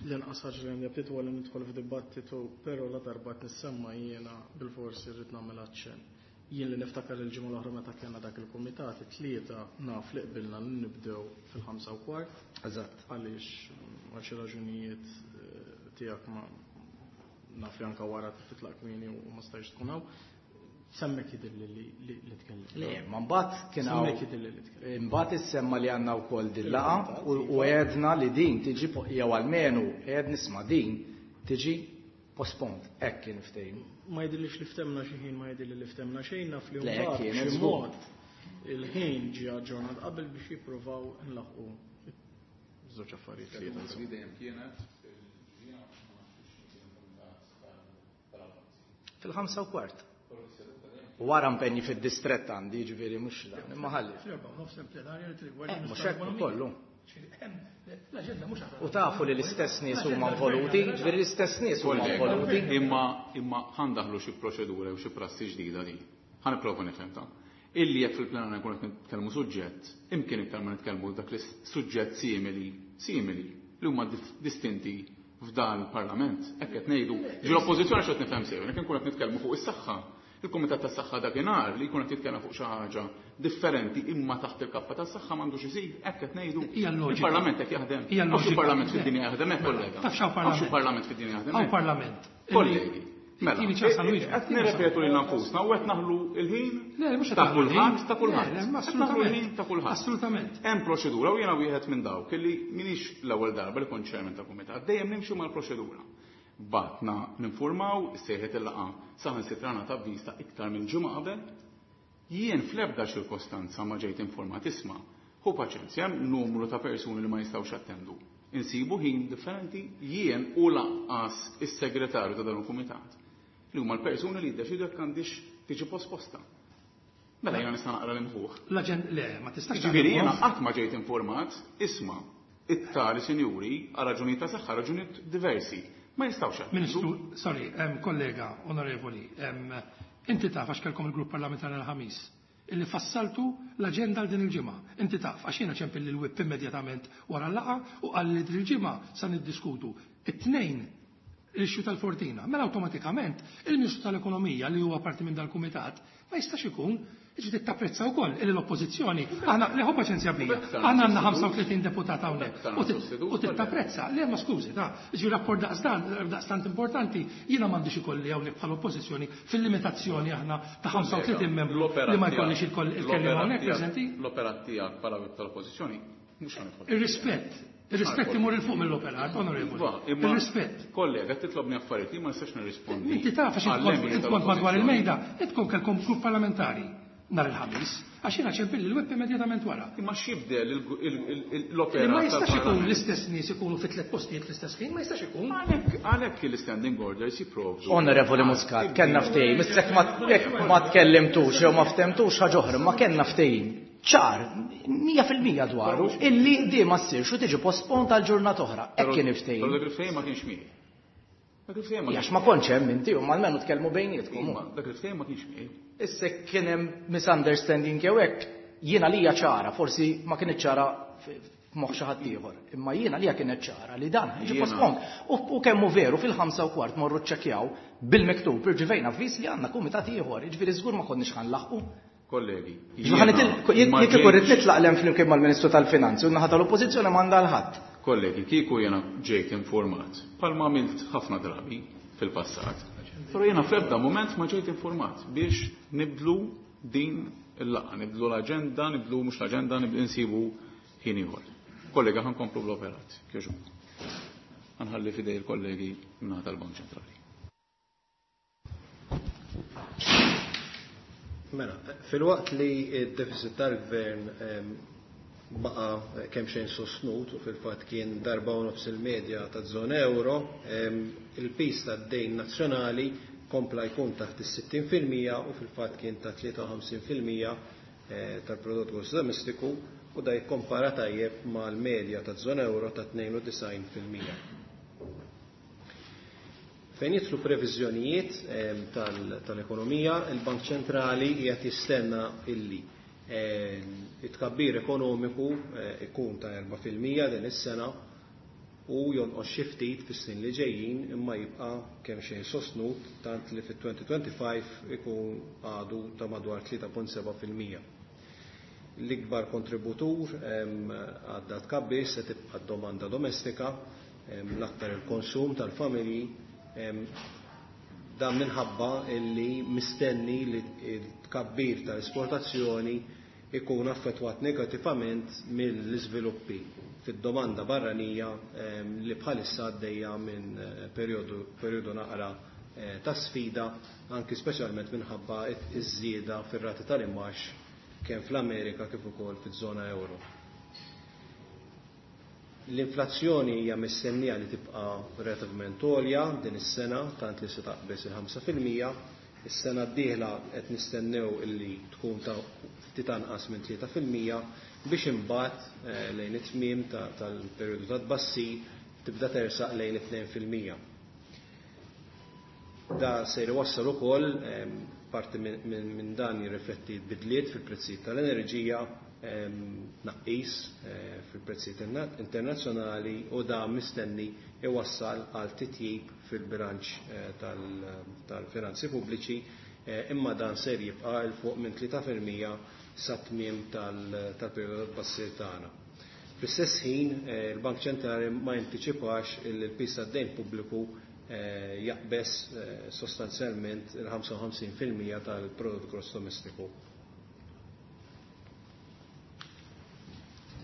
L-inqas ħaġa li għandi aptit huwa li nidħol f'dibattitu, però la darba qed nissemma jiena bilforsi rrid nagħmel aċċenn. Jien li niftakar il-ġimgħa l-oħra meta kellna dak il-kumitat, it-tlieta naf li qbilna li nibdew fil-5:15. Eżatt. Għaliex għal xi raġunijiet tiegħek ma naf li anke wara titlaq kmieni u ma stajtx tkun hawn. Semmek jidhirli li tkellim. Le, ma mbagħad kien hawn. Semmek jidhirli li tkellim. Imbagħad issemma li għandna wkoll din laqgħa u għedna li din tiġi jew almenu għed nisma' din tiġi postponed, hekk kien ftehim. Ma jidhirlix li ftemna xi ħin, ma jidhirli li ftemna xejn, naf li Le, mbagħad kien b'xi żgur. mod il-ħin ġie aġġornat qabel biex jippruvaw nlaħqu żewġ affarijiet li jidhru. Dejjem kienet Fil-5:15. Wara impenji fid-distrett għandi, jiġifieri mhux dan, imma ħalli. Fl-erba' u nofs hemm plenarja li tirrigwarda Mhux l-Ministru hekk tal-Ekonomija. kollu. L-aġenda mhux aħna. U tafu li l-istess nies huma involuti, ġifieri l-istess nies huma involuti. Imma imma ħandaħlu xi proċedura jew xi prassi ġdida din. Ħa nipprova nifhem ta'. Illi jekk fil-plenarja nkunu qed nitkellmu suġġett, imkien iktar ma nitkellmu dak li suġġett simili, simili li huma distinti f'dan il-Parlament. Hekk qed ngħidu. Ġi l-oppożizzjoni x'qed nifhem sew, jekk inkunu qed nitkellmu fuq is-saħħa. Il-Kumitat tas-Saħħa dakinhar li jkun qed jitkellem fuq xi ħaġa differenti imma taħt il-kappa tas-saħħa m'għandux isir, hekk qed ngħidu. Hija l-loġika. Il-Parlament hekk jaħdem. Hija Hawnx l-loġika. il-Parlament fid-dinja jaħdem hekk, kollega. Taf x'hawn Hawnx Parlament. il-Parlament fid-dinja jaħdem Hawn hekk. Parlament. Kollegi. Mela, Tini ċans għal wieġeb. qed nirrepetu lil nfusna u qed naħlu l-ħin Le, mhux qed ta' naħlu l-ħin. kulħadd, ta' kulħadd. Le, le, Qed naħlu assolutament. l-ħin ta' kulħadd. Assolutament. Hemm proċedura u jiena wieħed minn dawk illi minix l-ewwel darba li kont chairman ta' kumitat, dejjem nimxu mal-proċedura. Batna ninformaw, sejħet il-laqgħa saħansitra ta' avviż ta' iktar minn ġimgħa qabel. Jien fl-ebda ċirkostanza ma ġejt informat isma' hu paċenzja hemm numru ta' persuni li ma jistgħux jattendu. Insibu ħin differenti jien u laqqas is-segretarju ta' dan il-kumitat. Li huma l-persuni li jiddeċidu jekk għandix tiġi posposta. Mela jiena nista' naqra l-imħuħ. L-aġenda, le, ma tistax. Jiġifieri jiena qatt ma ġejt informat, isma', it-tali sinjuri għal raġunijiet ta' saħħa, raġunijiet diversi. Ma jistgħux jattendu. Ministru, sorry, kollega, onorevoli, inti taf għax kellkom il-grupp parlamentari l-Ħamis illi fassaltu l-aġenda għal din il-ġimgħa. Inti taf għax jiena ċempel lil whip immedjatament wara l-laqgħa u qal li din il-ġimgħa sa niddiskutu it-Tnejn l-issue tal-Fortina. Mela awtomatikament il-Ministru tal-Ekonomija li huwa parti minn dal-kumitat ma jistax ikun, jiġifieri tapprezza wkoll illi l-Oppożizzjoni, aħna, le ħu paċenzja bija, aħna għandna 35 deputat hawnhekk u titapprezza, le ma skużi, ta' jiġifieri rapport daqsdan, daqstant importanti, jiena m'għandix ikolli hawnhekk bħala Oppożizzjoni fil-limitazzjoni aħna ta' 35 membru li ma jkollix il-kelliem hawnhekk preżenti. L-operat tiegħek bħala whip tal-Oppożizzjoni mhux ħa nidħol. Ir-rispett. Ir-rispett imur 'il fuq mill-operat, onorevoli. Ir-rispett. Kollega, qed titlobni affarijiet li ma nistax nirrispondi. Inti taf għax int kont madwar il-mejda, int kont kellkom grupp parlamentari nhar il-Ħamis, għax jiena ċempilli l-web immedjatament wara. Imma x'jibdel l-operat? Ma jistax ikun l-istess nies ikunu fi tliet postijiet fl-istess ħin, ma jistax ikun. Għalhekk l-istanding orders jipprovdu. Onorevoli Muscat, kellna ftehim, issa jekk ma tkellimtux jew ma ftehmtux ħaġa oħra, ma kellna ftehim ċar, 100% dwaru, illi di ma ssirx u tiġi postponed għal ġurnata oħra. Hekk kien il-ftehim. Però dak il-ftehim ma kienx miegħi. Dak il-ftehim ma Għax ma kontx hemm inti u almenu tkellmu bejnietkom. Imma dak il-ftehim ma kienx miegħi. Issa kien hemm misunderstanding jew hekk, jiena lija ċara, forsi ma kienet ċara f'moħħ xi ħadd ieħor, imma jiena lija kienet ċara li dan ġie postponed. U kemm hu veru fil-5:15 morru ċċekkjaw bil-miktub irċivejna avviż li għandna kumitat ieħor, jiġifieri żgur ma konniex ħanlaħqu. Kollegi, jiena kieku rrid nitlaq lem flimkien mal-Ministru tal-Finanzi u n-naħa tal-Oppożizzjoni m'għandha l-ħadd. Kollegi, kieku jiena ġejt informat, bħalma għamilt ħafna drabi fil-passat, però jiena fl-ebda mument ma ġejt informat biex nibdlu din il-laqgħa, nibdlu l-aġenda, nibdlu mhux l-aġenda, nibdlu insibu ħin ieħor. Kollega, ħankomplu bl-operat, kieġu. Ħanħalli fidej il-kollegi min-naħa tal-Bank Ċentrali. Mela, filwaqt li d-deficit tal-gvern baqa kemm xejn sostnut u fil-fatt kien darba u nofs il-medja taż-żona euro, il-pis tad-dejn nazzjonali kompla jkun taħt is-60% u fil-fatt kien ta' 53% tal-prodott gross domestiku u da jikkompara tajjeb mal-medja taż-żona euro ta' 92%. Fejn jidħlu previżjonijiet tal-ekonomija, il-Bank Ċentrali qiegħed jistenna illi it-tkabbir ekonomiku ikun ta' 4% din is-sena u jonqos xi ftit fis-snin li ġejjin imma jibqa' kemm xejn sostnut tant li fit-2025 ikun għadu ta' madwar 3.7%. L-ikbar kontributur għadda tkabbir se tibqa' d-domanda domestika, l-aktar il-konsum tal-familji, dan minħabba illi mistenni li t-tkabbir tal-esportazzjoni ikun affettwat negattivament mill-iżviluppi fid-domanda barranija li bħalissa għaddejja minn perjodu naqra ta' sfida, anki speċjalment minħabba iż-żieda fir-rati tal-imgħax kemm fl-Amerika kif ukoll fiż-żona euro. L-inflazzjoni hija mistennija li tibqa' relativament għolja din is-sena, tant li se taqbeż il-5%. Is-sena d-dieħla qed nistennew illi tkun ta' ftit anqas minn 3% biex imbagħad lejn it-tmiem tal-perjodu ta' tbassir tibda tersaq lejn it-2%. Da se jwassal ukoll parti minn dan jirrifletti bidliet fil-prezzijiet tal-enerġija, tnaqqis fil-prezzijiet internazzjonali u da mistenni iwassal għal titjib fil-bilanċ tal-finanzi pubbliċi, imma dan ser jibqa' 'l fuq minn 3% sa tmiem tal-perjodu tat-tbassir tagħna. Fl-istess ħin, il-Bank Ċentrali ma jantiċipax il-pis tad-dejn pubbliku jaqbeż sostanzjalment il-55% tal-prodott gross domestiku.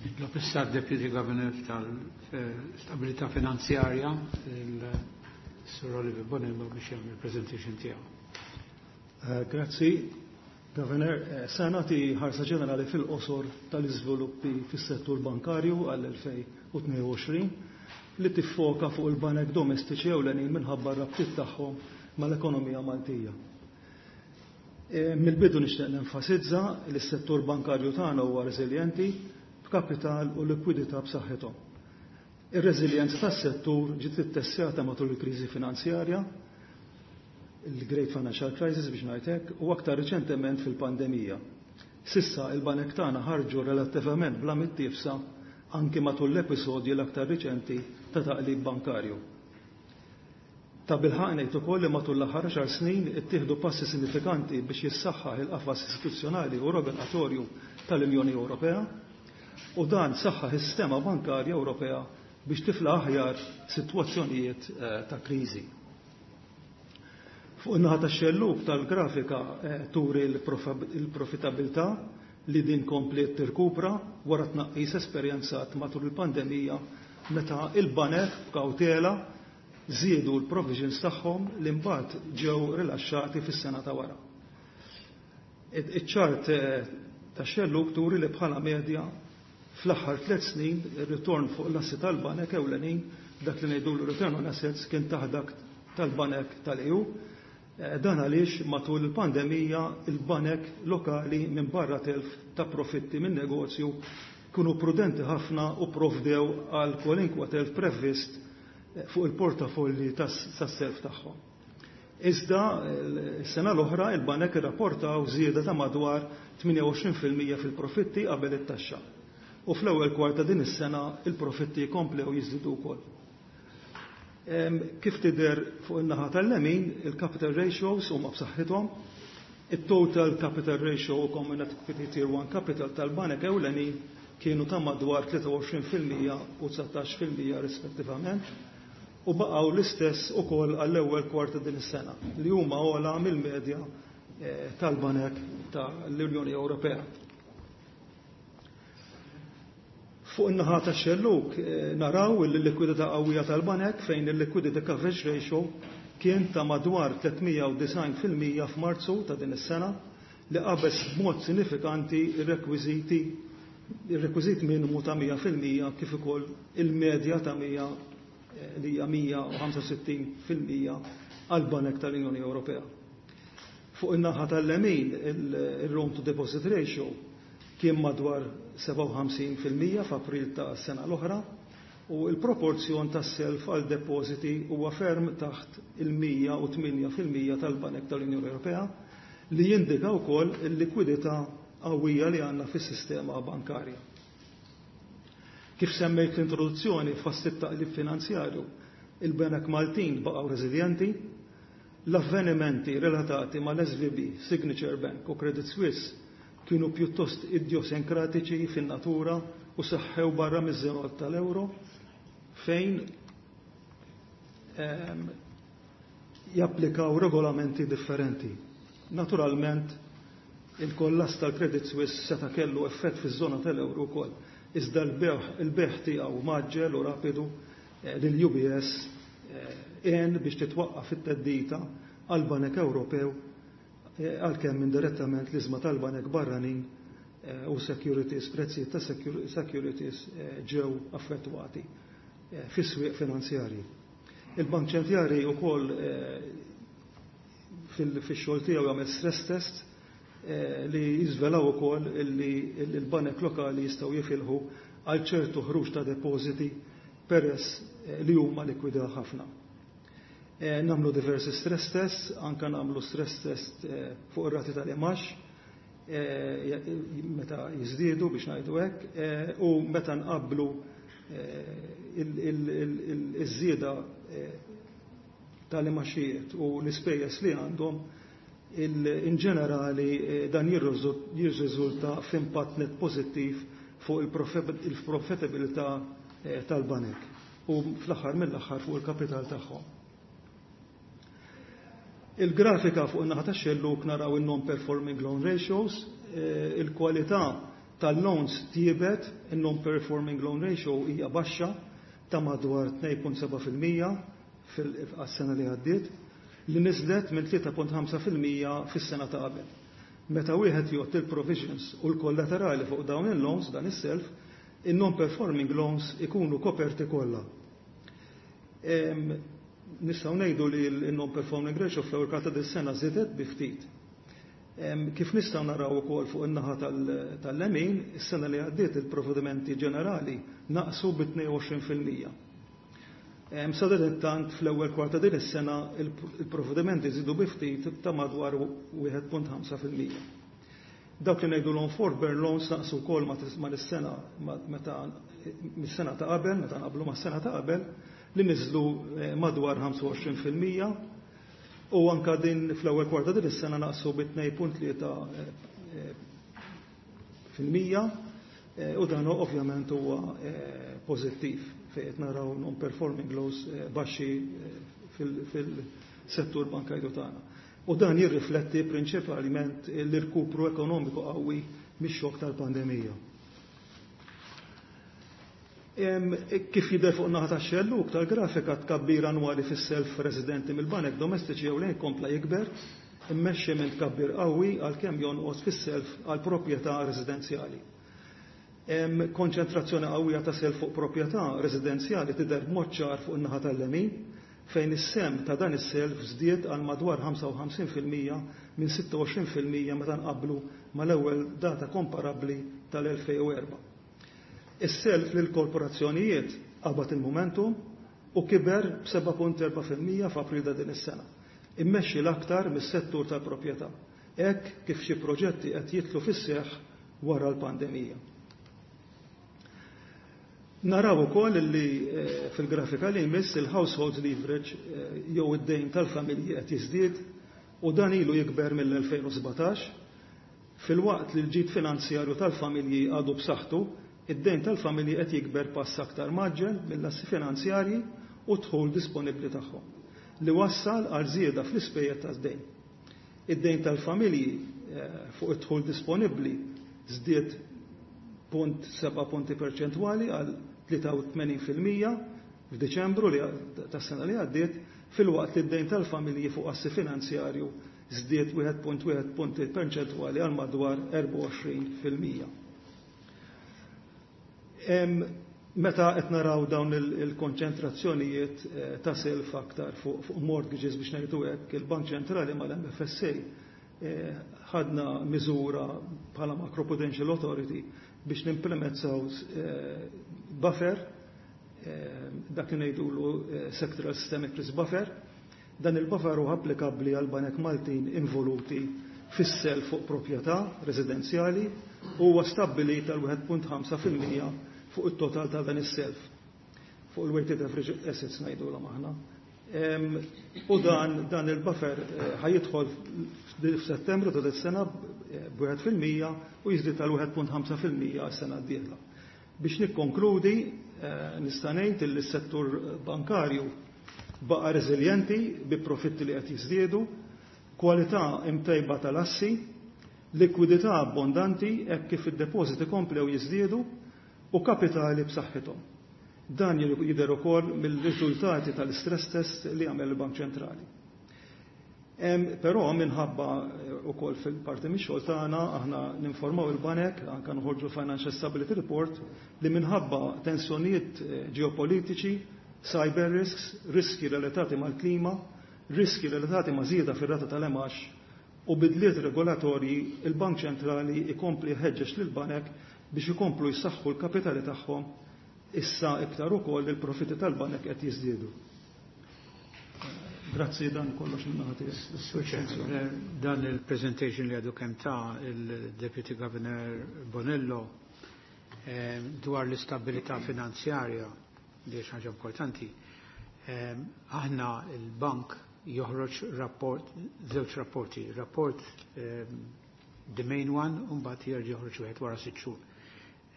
Nitlob issa d-Deputy Governor tal-Stabilità Finanzjarja, il-Sir Oliver Bonello, biex jagħmel il-presentation tiegħu. Grazzi, Governor. Se nagħti ħarsa ġenerali fil-qosor tal-iżviluppi fis-settur bankarju għall-2022 li tiffoka fuq il-banek domestiċi ewlenin minħabba r-rabtiet tagħhom mal-ekonomija Maltija. Mill-bidu nixtieq nenfasizza li s-settur bankarju tagħna huwa reżiljenti b'kapital u likwidità b'saħħithom. Ir-reżiljenza tas-settur ġiet ittestjata matul il-kriżi finanzjarja, il-Great Financial Crisis biex ngħid hekk, u aktar riċentement fil-pandemija. S'issa il-banek tagħna ħarġu relattivament bla mittiefsa anki matul l-episodji l-aktar riċenti ta' taqlib bankarju. Tabilħaqq ngħid ukoll li matul l-aħħar 10 snin ittieħdu passi sinifikanti biex jissaħħaħ il-qafas istituzzjonali u regolatorju tal-Unjoni Ewropea u dan saħħaħ is-sistema bankarja Ewropea biex tiflaħ aħjar sitwazzjonijiet ta' kriżi. Fuq in-naħa tax-xellug tal-grafika turi l-profitabilità li din kompliet tirkupra wara tnaqqis esperjenzat matul il-pandemija meta il-banek b'kawtela żiedu l-provisions tagħhom li mbagħad ġew rilaxxati fis-sena ta' wara. Iċ-ċart tax-xellug turi li bħala medja fl-aħħar 3 snin ir-ritorn fuq l-assi tal-banek ewlenin, dak li ngħidulu return on assets, kien taħt dak tal-banek tal-EU. Dan għaliex matul il-pandemija il-banek lokali minn barra telf ta' profitti minn negozju kienu prudenti ħafna u provdew għal kwalinkwa telf previst fuq il-portafolli tas-self tagħhom. Iżda s-sena l-oħra il-banek irrapportaw żieda ta' madwar 28% fil-profitti qabel it-taxxa. U fl-ewwel kwart ta' din is-sena il-profitti komplew jiżdiedu wkoll. Kif tidher fuq in-naħa tal-lemin, il-capital ratios huma b'saħħithom. Il-total capital ratio u common equity tier 1 capital tal-banek ewlenin kienu ta' madwar 23% u 19% rispettivament u baqgħu l-istess ukoll għall-ewwel kwart din is-sena li huma ogħla mill-medja tal-banek tal-Unjoni Ewropea. Fuq in-naħa tax-xellug naraw il-likwidità qawwija tal-banek fejn il-liquidity coverage ratio kien ta' madwar 390% f'Marzu ta' din is-sena li qabeż b'mod sinifikanti ir-rekwiżiti ir-rekwiżit minimu ta' 100% kif ukoll il-medja ta' 100 li hija 165% għal banek tal-Unjoni Ewropea. Fuq in-naħa tal-lemin il-loan to deposit ratio kien madwar 57% f'April ta' sena l-oħra u il-proporzjon tas-self għal depositi huwa ferm taħt il-108% tal-Banek tal-Unjoni Ewropea li jindika wkoll il-likwidità qawwija li għandna fis-sistema bankarja. Kif semmejt l-introduzzjoni, fost it-taqlib finanzjarju, il-Banek Maltin baqgħu reżiljenti. L-avvenimenti relatati mal-SVB, Signature Bank u Credit Suisse kienu pjuttost idjosinkratiċi fin-natura u seħħew barra miż-żona tal-euro fejn japplikaw regolamenti differenti. Naturalment, il-kollass tal-Credit Suisse seta' kellu effett fiż-żona tal-euro wkoll, iżda l-bejgħ tiegħu mgħaġġel u rapidu lil UBS għen biex titwaqqaf it-theddida għal banek Ewropew, għalkemm indirettament l-ishma tal-banek barranin u securities, prezzijiet ta' securities ġew affettwati fis-swieq finanzjarji. Il-Bank Ċentrali wkoll fix-xogħol tiegħu jagħmel stress test li jiżvelaw ukoll li l-banek lokali jistgħu jifilħu għal ċertu ħruġ ta' depositi peress li huma likwida ħafna. Nagħmlu diversi stress tests, anka nagħmlu stress test fuq ir-rati tal-imgħax meta jiżdiedu biex ngħidu hekk u meta nqabblu iż-żieda tal-imgħaxijiet u l-ispejjeż li għandhom, in ġenerali dan jirriżulta f'impatt net pożittiv fuq il-profitabilità tal-banek u fl-aħħar mill-aħħar fuq il-kapital tagħhom. Il-grafika fuq in-naħa tax-xellug naraw il-non-performing loan ratios, il-kwalità tal-loans tjiebet, il-non-performing loan ratio hija baxxa ta' madwar 2.7% fil-sena li għaddiet, li niżlet minn 3.5% fis-sena ta' qabel. Meta wieħed jgħodd il-provisions u l-kollaterali fuq dawn il-loans, dan is-self, il-non-performing loans ikunu koperti kollha. Nistgħu ngħidu li l-non-performing ratio fl-ewwel kwarta dis-sena żiedet bi ftit. Kif nistgħu naraw ukoll fuq in-naħa tal-lemin, is-sena li għaddiet il-provvedimenti ġenerali naqsu bi 22%. Sadanittant fl-ewwel kwarta din is-sena il-provvedimenti żiedu bi ftit ta' madwar 1.5%. Dawk li ngħidulhom forbearance loans naqsu wkoll ma' is-sena meta mis-sena ta' qabel, meta nqablu mas-sena ta' qabel, li niżlu madwar 25% u anka din fl-ewwel kwarta din is-sena naqsu bi 2.3% u dan ovvjament huwa pożittiv fejn qed naraw non-performing loans baxxi fil-settur bankarju tagħna. U dan jirrifletti prinċipalment l-irkupru ekonomiku qawwi mix-xokk tal-pandemija. Kif jidher fuq naħa tax-xellug tal-grafika, tkabbir annwali fis-self residenti mill-banek domestiċi ewlenin kompla jikber, immexxi minn tkabbir qawwi għalkemm jonqos fis-self għal proprjetà residenzjali. Konċentrazzjoni qawwija ta' self fuq proprjetà residenzjali tidher b'mod ċar fuq in-naħa tal-lemin, fejn is-sehem ta' dan is-self żdied għal madwar 55% minn 26% meta nqablu mal-ewwel data komparabbli tal-2004. Is-self lil korporazzjonijiet qabad il-momentum u kiber b'7.4% f'April ta' din is-sena, immexxi l-aktar mis-settur tal-proprjetà, hekk kif xi proġetti qed jidħlu fis-seħħ wara l-pandemija. Naraw ukoll li fil-grafika li jmiss il-household leverage jew id-dejn tal-familji qed jiżdied u dan ilu jikber mill-2017. Filwaqt li l-ġid finanzjarju tal-familji għadu b'saħħtu, id-dejn tal-familji qed jikber pass aktar mgħaġġel mill-assi finanzjarji u dħul disponibbli tagħhom, li wassal għal żieda fl-ispejjeż tad-dejn. Id-dejn tal-familji fuq id-dħul disponibbli żdied 0.7 punti perċentwali għal 83% f'Diċembru li tas-sena li għaddiet, filwaqt li d-dejn tal-familji fuq assi finanzjarju żdied 1.1 punti perċentwali għal madwar 24%. Meta qed naraw dawn il-konċentrazzjonijiet ta' self aktar fuq mortgages, biex ngħidu hekk, il-Bank Ċentrali mal-MFSA ħadna miżura bħala Macroprudential Authority biex nimplementaw buffer, dak li ngħidulu Sectoral Systemic Risk Buffer. Dan il-buffer huwa applikabbli għal banek Maltin involuti fis-self fuq proprjetà residenzjali u huwa stabbilit għal 1.5% fuq it-total ta' dan is-self. Fuq il-weighted average assets ngħidulhom aħna. U dan il-buffer ħa jidħol f'Settembru ta' sena b'1% u jiżdied tal 1.5% għas-sena d-dieħla. Biex nikkonkludi, nista' ngħid li s-settur bankarju baqa' reżiljenti bi profitti li qed jiżdiedu, kwalità imtejba tal-assi, likwidità abbondanti hekk kif id-depożiti komplew jiżdiedu u kapitali b'saħħithom. Dan jidher ukoll mill-riżultati tal-stress test li għamel il-Bank Ċentrali. Però minħabba ukoll fil-parti mix-xogħol tagħna aħna ninformaw il-banek, anke noħorġu Financial Stability Report, li minħabba tensjonijiet ġeopolitiċi, cyber risks, riski relatati mal-klima, riski relatati ma' żieda fir-rata tal-imgħax u bidliet regolatorji, il-Bank Ċentrali ikompli jħeġġeġ lill-banek biex ikomplu jsaħħu l-kapitali tagħhom, issa iktar ukoll il-profitti tal-banek qed jiżdiedu. Grazzi, dan kollox min-naħa tiegħi. Dan il-presentation li għadu kemm ta il-Deputy Governor Bonello dwar l-istabilità finanzjarja, li ħaġa importanti. Aħna il-bank joħroġ rapport, żewġ rapporti, rapport the main one, u mbagħad jerġa' joħroġ wieħed wara 6 xhur.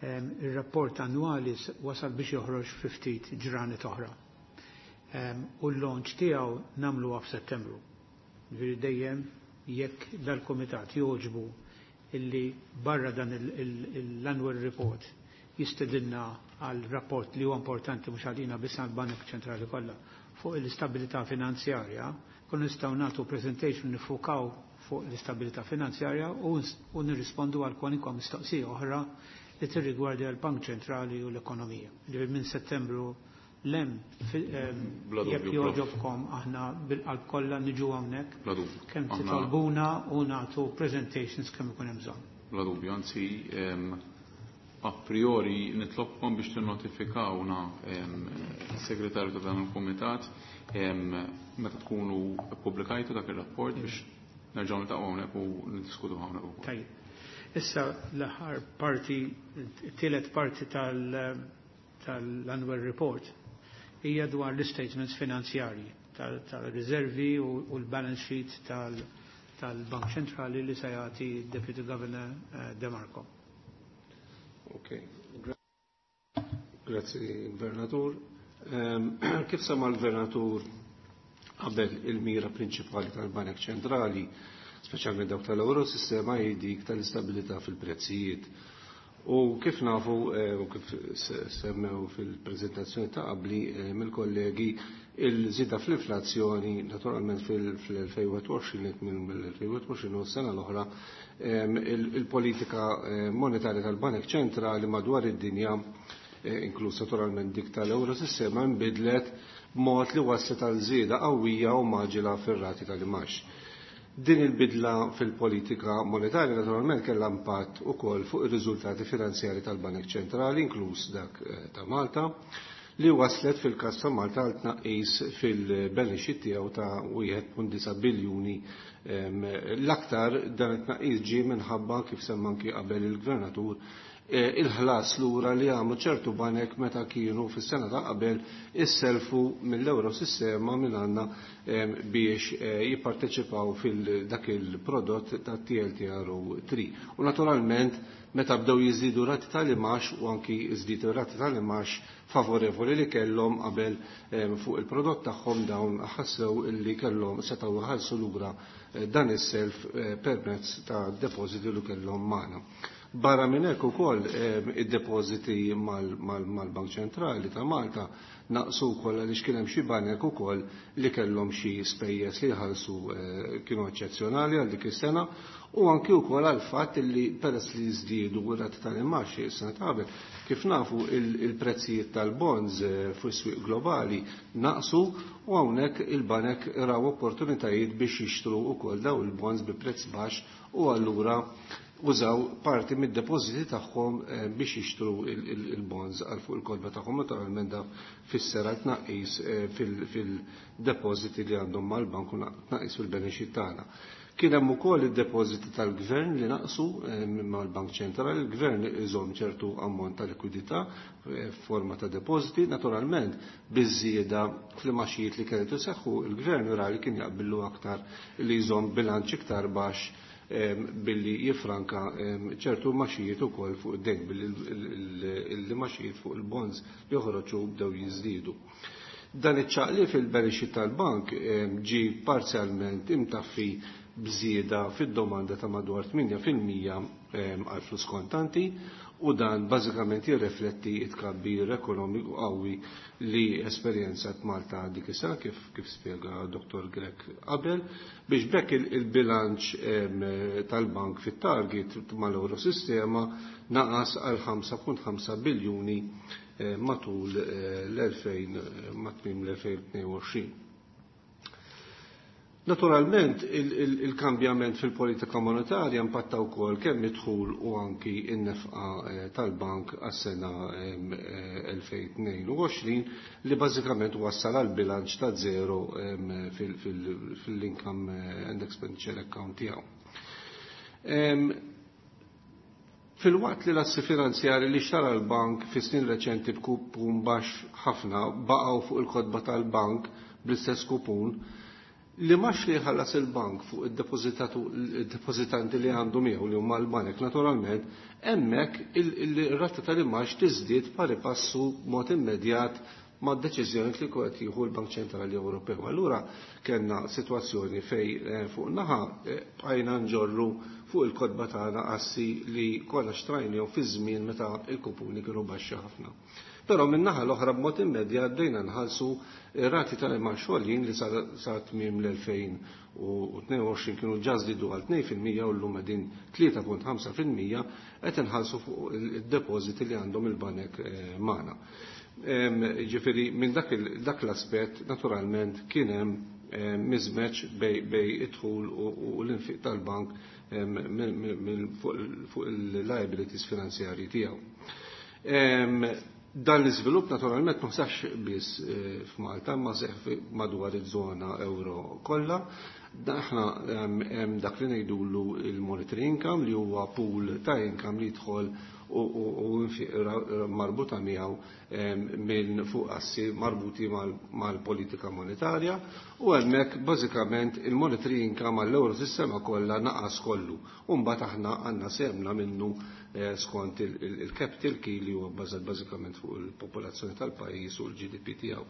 Il-rapport annwali wasal biex joħroġ 50 ġranet oħra. U l-launch tiegħu nagħmluha f'Settembru. Ġifieri dejjem jekk dal-komitat jogħġbu illi barra dan l-annual report jistedinna għal rapport li huwa importanti mhux għalina biss, għal Bank Ċentrali kollha, fuq l-istabilità finanzjarja, kun nistgħu nagħtu presentation nifukaw fuq l-istabilità finanzjarja u nirrispondu għal kwalinkwa mistoqsija oħra li tirrigwardja l-Bank Ċentrali u l-ekonomija. Ġifieri minn Settembru Lem, jekk jogħġobkom aħna bil-qalb kollha niġu hawnhekk. Bla dubju. Kemm titolbuna u nagħtu presentations kemm ikun hemm bżonn. Bla dubju, anzi a priori nitlobkom biex tinnotifikawna segretarju ta' dan il-kumitat meta tkunu ppubblikajtu dak ir-rapport biex nerġgħu niltaqgħu hawnhekk u niddiskutu hawnhekk ukoll. Tajjeb. Issa l-aħħar parti, it-tielet parti tal-annual report hija dwar l-statements finanzjarji tal-riservi u l-balance sheet tal-Bank Ċentrali li se jagħti Deputy Governor De Marco. Ok, grazzi Gvernatur. Kif sama l-Gvernatur qabel, il-mira prinċipali tal-Banek Ċentrali, speċjalment dawk tal-Eurosistema, hi dik tal-istabilità fil-prezzijiet. U kif nafu u kif semmew fil-prezentazzjoni ta' qabli mill-kollegi, il-żieda fl-inflazzjoni naturalment fil-2021, mill-2021 u s-sena l-oħra, il-politika monetarja tal-Banek Ċentrali madwar id-dinja, inkluż naturalment dik tal-Eurosistema, nbidlet b'mod li waslet għal żieda qawwija u maġila fir-rati tal-imax. Din il-bidla fil-politika monetarja naturalment kellha impatt ukoll fuq ir-riżultati finanzjari tal-Banek Ċentrali, inkluż dak ta' Malta, li waslet fil-każ ta' Malta għal tnaqqis fil-balance sheet tiegħu ta' 1.9 biljuni. L-aktar dan it-tnaqqis ġie minħabba, kif semma anki qabel il-Gvernatur, il-ħlas lura li għamlu ċertu banek meta kienu fis-sena ta' qabel isselfu mill-Eurosistema minn għandna biex jipparteċipaw fil-dak il-prodott ta' TLTRO 3. U naturalment meta bdew jiżdiedu rati tal-imax u anki żdiedu rati tal-imax favorevoli li kellhom qabel fuq il-prodott tagħhom, dawn ħassew illi kellhom setgħu jħallsu lura dan is-self permezz ta' depożiti li kellhom magħna. Barra minn hekk ukoll id-depożiti mal-Bank Ċentrali ta' Malta naqsu wkoll għaliex kien hemm xi banek ukoll li kellhom xi spejjeż li jħallsu kienu eċċezzjonali għal dik is-sena, u anki wkoll għal fatt li peress li żdiedu rati tal-imaxxi s-sena ta' qabel, kif nafu, il-prezzijiet tal-bonds fuq is-swieq globali naqsu u hawnhekk il-banek raw opportunitajiet biex jixtru wkoll daw il-bonds bi prezz baxx u allura użaw parti mid-depożiti tagħhom biex jixtru il-bonds għal fuq il-kotba tagħhom. Naturalment da fisser għal tnaqqis fil-depożiti li għandhom mal-bank u tnaqqis fil-balance sheet tagħna. Kien hemm ukoll id-depożiti tal-gvern li naqsu mal-Bank Ċentrali. Il-gvern iżomm ċertu ammont ta' likwidità f'forma ta' depożiti, naturalment biż-żieda fl-imaxijiet li kienet iseħħu, il-gvern ra li kien jaqbillu aktar li jżomm bilanċ iktar baxx billi jifranka ċertu maxijiet ukoll fuq id-dejn billi l-maxijiet fuq il-bonds li joħroġu bdew jiżdiedu. Dan iċ-ċaqli fil-balance sheet tal-bank ġi parzjalment imtaffi bżieda fid-domanda ta' madwar 8% għal flus kontanti, u dan bażikament jirrifletti it-tkabbir ekonomiku qawwi li esperjenzat Malta dik is-sena, kif spjega Dr. Grech qabel, biex bekk il-bilanċ tal-bank fit-target mal-Eurosistema naqas għal 5.5 biljuni matul l-2000 mat-tmiem l-2022. Naturalment, il-kambjament fil-politika monetarja impatta wkoll kemm id-dħul u anki n-nefqa tal-bank għas-sena 2022, li bażikament wassal għal bilanċ ta' zero fil-income and expenditure account tiegħu. Filwaqt li l-assi finanzjari li xtara l-bank fi snin reċenti b'kupun baxx ħafna baqgħu fuq il-kotba tal-bank bl-istess kupun, li max li jħallas il-bank fuq il-depozitanti li għandu miegħu, li huma l-banek naturalment, hemmhekk il-rata tal-imax tiżdied pari passu mod immedjat ma' deċiżjoni li qed jieħu l-Bank Ċentrali Ewropew. Allura kellna sitwazzjoni fej fuq naħa bqajna nġorru fuq il-kotba tagħna assi li kollha xtrajnihom fi żmien meta il-kupuni kienu baxxi ħafna. Però minn naħa l-oħra b'mod immedjat bdejna nħallsu rati tal-imax għoljin li sa tmiem l-2022 kienu ġa żdiedu għal 2% u llum qegħdin 3.5% qed inħallsu fuq id-depożiti li għandhom il-banek magħna. Ġifieri minn dak l-aspett naturalment kien hemm mismatch bejn id-dħul u l-infiq tal-bank fuq il-liabilities finanzjarji tiegħu. Dan l-iżvilupp naturalment ma seħħx biss f'Malta, ma seħħ madwar iż-żona euro kollha. Aħna hemm dak li ngħidulu il-monetary income, li huwa pool ta' income li jidħol u infiq marbuta miegħu minn fuq assi marbuti mal-politika monetarja, u hemmhekk bażikament il-monetary income għall-euro sistema kollha naqas kollu. U mbagħad aħna għandna semna minnu skont il-capital key, li huwa bbażat bażikament fuq il-popolazzjoni tal-pajjiż u l-GDP tiegħu.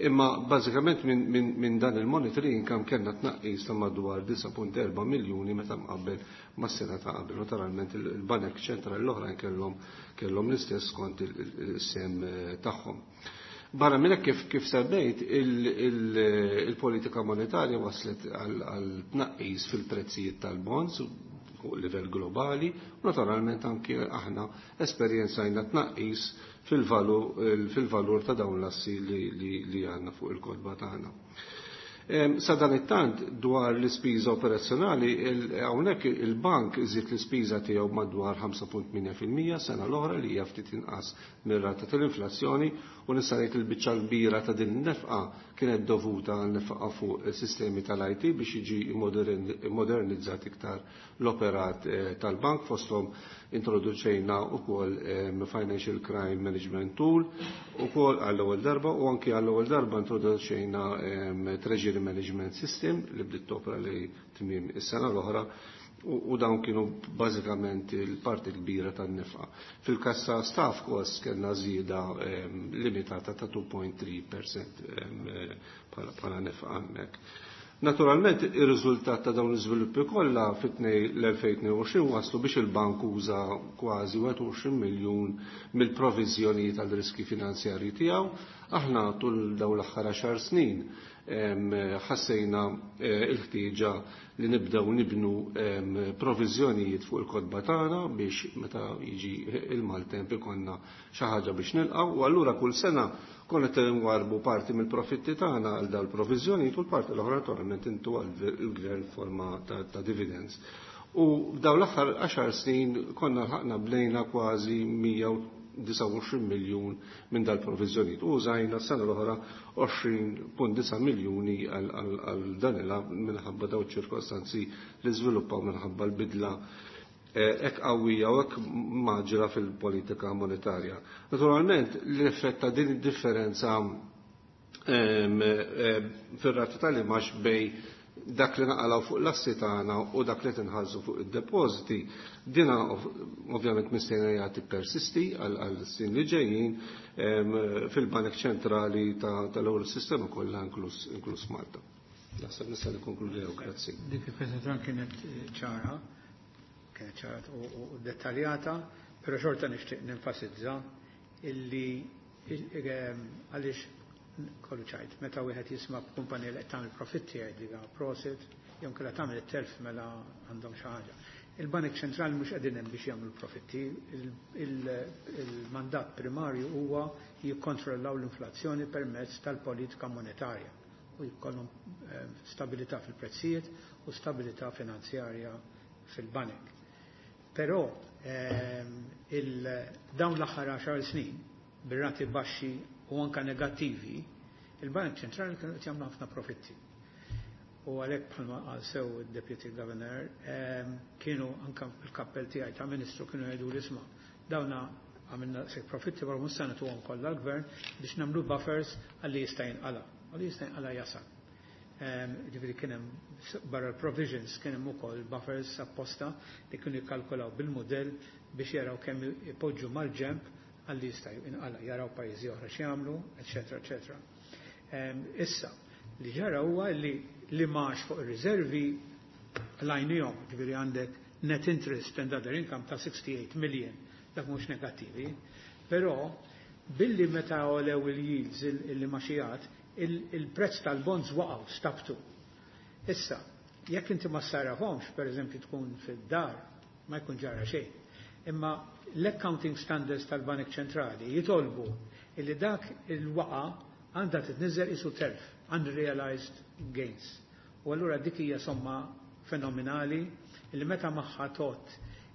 Imma bażikament minn dan il-monetary income kellna tnaqqis ta' madwar 9.4 miljuni meta mqabbel mas-sena ta' qabel. Naturalment il-banek ċentrali l-oħrajn kellhom l-istess skont il-sem tagħhom. Barra minn hekk, kif semmejt, il-politika monetarja waslet għal tnaqqis fil-prezzijiet tal-bonds fuq livell globali, u naturalment anki aħna esperjenzajna tnaqqis fil-valur ta' dawn l-assi li għandna fuq il-kotba tagħna. Sa dan it-tant, dwar l-ispiża operazzjonali, hawnhekk il-bank iżid l-ispiża tiegħu madwar 5.8% sena l-oħra, li hija ftit inqas mir-rata tal-inflazzjoni, u nista' ngħid il-biċċa kbira ta' din in-nefqa kienet dovuta għal nefqa fuq sistemi tal-IT biex jiġi modernizzat iktar l-operat tal-bank. Fosthom introduċejna wkoll Financial Crime Management Tool ukoll għall-ewwel darba, u anki għall-ewwel darba introduċejna Treasury Management System li bdiet topra li tmiem is-sena l-oħra, u dawn kienu bażikament il-parti kbira tan-nefqa. Fil-każ ta' staff cost kellna żieda limitata ta' 2.3% bħala nefqa hemmhekk. Naturalment, ir-riżultat ta' dawn l-iżviluppi kollha fit-tnej l-2022 waslu biex il-bank uża kważi 21 miljun mill-proviżjonijiet għal riski finanzjarji tiegħu. Aħna tul dawn l-aħħar 10 snin ħassejna il-ħtieġa li nibdew nibnu proviżjonijiet fuq il-kotba tagħna biex meta jiġi il-maltemp ikollna xi ħaġa biex nilqgħu, u allura kull sena konna qed nwarbu parti mill-profitti tagħna għal dal proviżjonijiet u l-parti l-oħra naturalment intu għall-gvern forma ta' dividends. U dawn l-aħħar 10 snin konna ħaqna bnejna kważi 129 miljun minn dal-proviżjonijiet. U użajna s-sena l-oħra 20.9 miljuni għal dan il minħabba daw ċirkostanzi li żviluppaw minħabba l-bidla hekk qawwija u hekk maġra fil-politika monetarja. Naturalment, l-effett ta' din id-differenza fir-rata tal-imax bejn dak li naqalaw fuq l-assi tagħna u dak li tinħallsu fuq id-depożiti, dina ovvjament mistennija jagħti persisti għal snin li ġejjin fil-Banek Ċentrali tal-Euro Sistema kollha, inkluż Malta. Naħseb nista' nikkonkludi, grazzi. Dik il-preżentazzjoni kienet ċara, kienet ċara u dettaljata, però xorta nixtieq nenfasizza illi għaliex kollu ċajt, meta wieħed jisma' kumpanija li qed tagħmel profitti jgħid prosit, jew kellha tagħmel it-telf mela għandhom xi ħaġa. Il-Banek Ċentrali mhux qegħdin hemm biex jagħmlu profitti, il-mandat primarju huwa jikkontrollaw l-inflazzjoni permezz tal-politika monetarja u jkollhom stabilità fil-prezzijiet u stabilità finanzjarja fil-banek. Però dawn l-aħħar 10 snin bir-rati baxxi u anka negattivi, il-Bank Ċentrali kienu qed jagħmlu ħafna profitti. U għalhekk, bħalma qal sew id-Deputy Governor, kienu anka il-kappell tiegħi ta' Ministru kienu jgħidu li isma', dawna għamilna se profitti, barra mhux se nagħtuhom kollha l-gvern biex nagħmlu buffers għalli jista' jinqala. Għalli jista' jinqala jasal. Ġifieri kien hemm barra provisions kien hemm ukoll buffers apposta li kienu jikkalkulaw bil-modell biex jaraw kemm ipoġġu mal-ġemp għalli jista' jinqala, jaraw pajjiżi oħra x'jagħmlu, eċetera, eċetera. Issa, li ġara huwa li max fuq ir-riservi lajnijom, ġifieri għandek net interest and other income ta' 68 million, dak mhux negattivi, però billi meta għolew il-yields il-maxijat, il-prezz tal-bonds waqgħu, stabtu. Issa, jekk inti ma sarrafhomx, per eżempju tkun fid-dar, ma jkun ġara xejn. Imma l-accounting standards tal-Banek Ċentrali jitolbu Illi dak il-waqa għandha titniżel isu telf, unrealized gains. U allura dik hija somma fenomenali illi meta magħha tot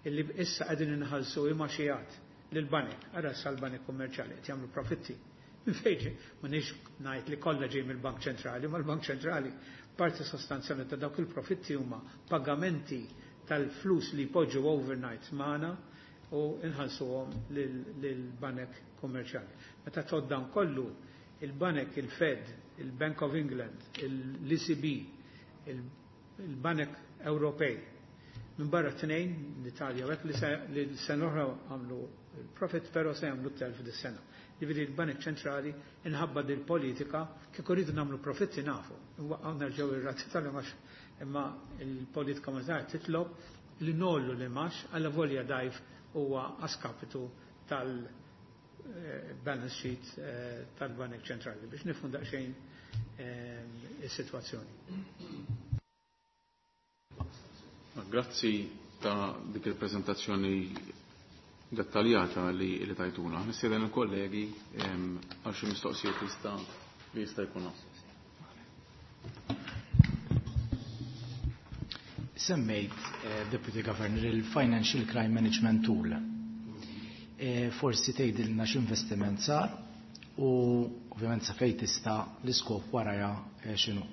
illi issa qegħdin inħallsu imgħaxijat lill-banek, ara issa l-banek kummerċjali qed jagħmlu profitti. Minn fejn m'għandix ngħid li kollha ġej mill-Bank Ċentrali, ma l-Bank Ċentrali parti sostanzjali ta' dawk il-profitti huma pagamenti tal-flus li jpoġġu overnight magħna u nħallsuhom lill-banek kummerċjali. Meta tgħodd dan kollu, il-banek, il-Fed, il-Bank of England, l-ECB, il-banek Ewropej, minn barra tnejn, l-Italja, u hekk li s-sena l-oħra għamlu il-profit, però se jagħmlu telf dis-sena. Jiġifieri l-banek ċentrali inħabba dil-politika kieku rridu nagħmlu profitti nafu. Nwaqqgħu nerġgħu ir-rati tal-imax imma l-politika monetarja titlob li nollu l-imax għalla volja dajf huwa askapitu tal-balance sheet tal-Banek Ċentrali biex nifhmu daqsxejn is-sitwazzjoni. Grazzi ta' dik il-prezentazzjoni dettaljata li tajtuna. Nistieden il-kollegi għal xi mistoqsijiet li jista' jkun hawn. Semmejt, Deputy Governor, il-Financial Crime Management Tool. Forsi tgħidilna x'investiment sar u ovvjament sa fejn tista' l-iskop warajha x'inhu.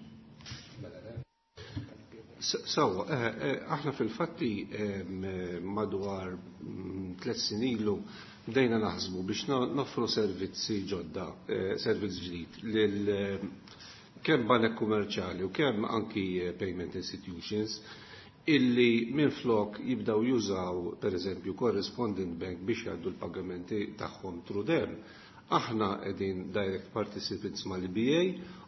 Sawa, aħna fil-fatti madwar 3 snin ilu bdejna naħsbu biex noffru servizzi ġodda, servizz ġdid lil kemm banek kummerċjali u kemm anki payment institutions illi minflok jibdaw jużaw per eżempju correspondent bank biex jgħaddu l-pagamenti tagħhom through them. Aħna qegħdin direct participants mal-EBA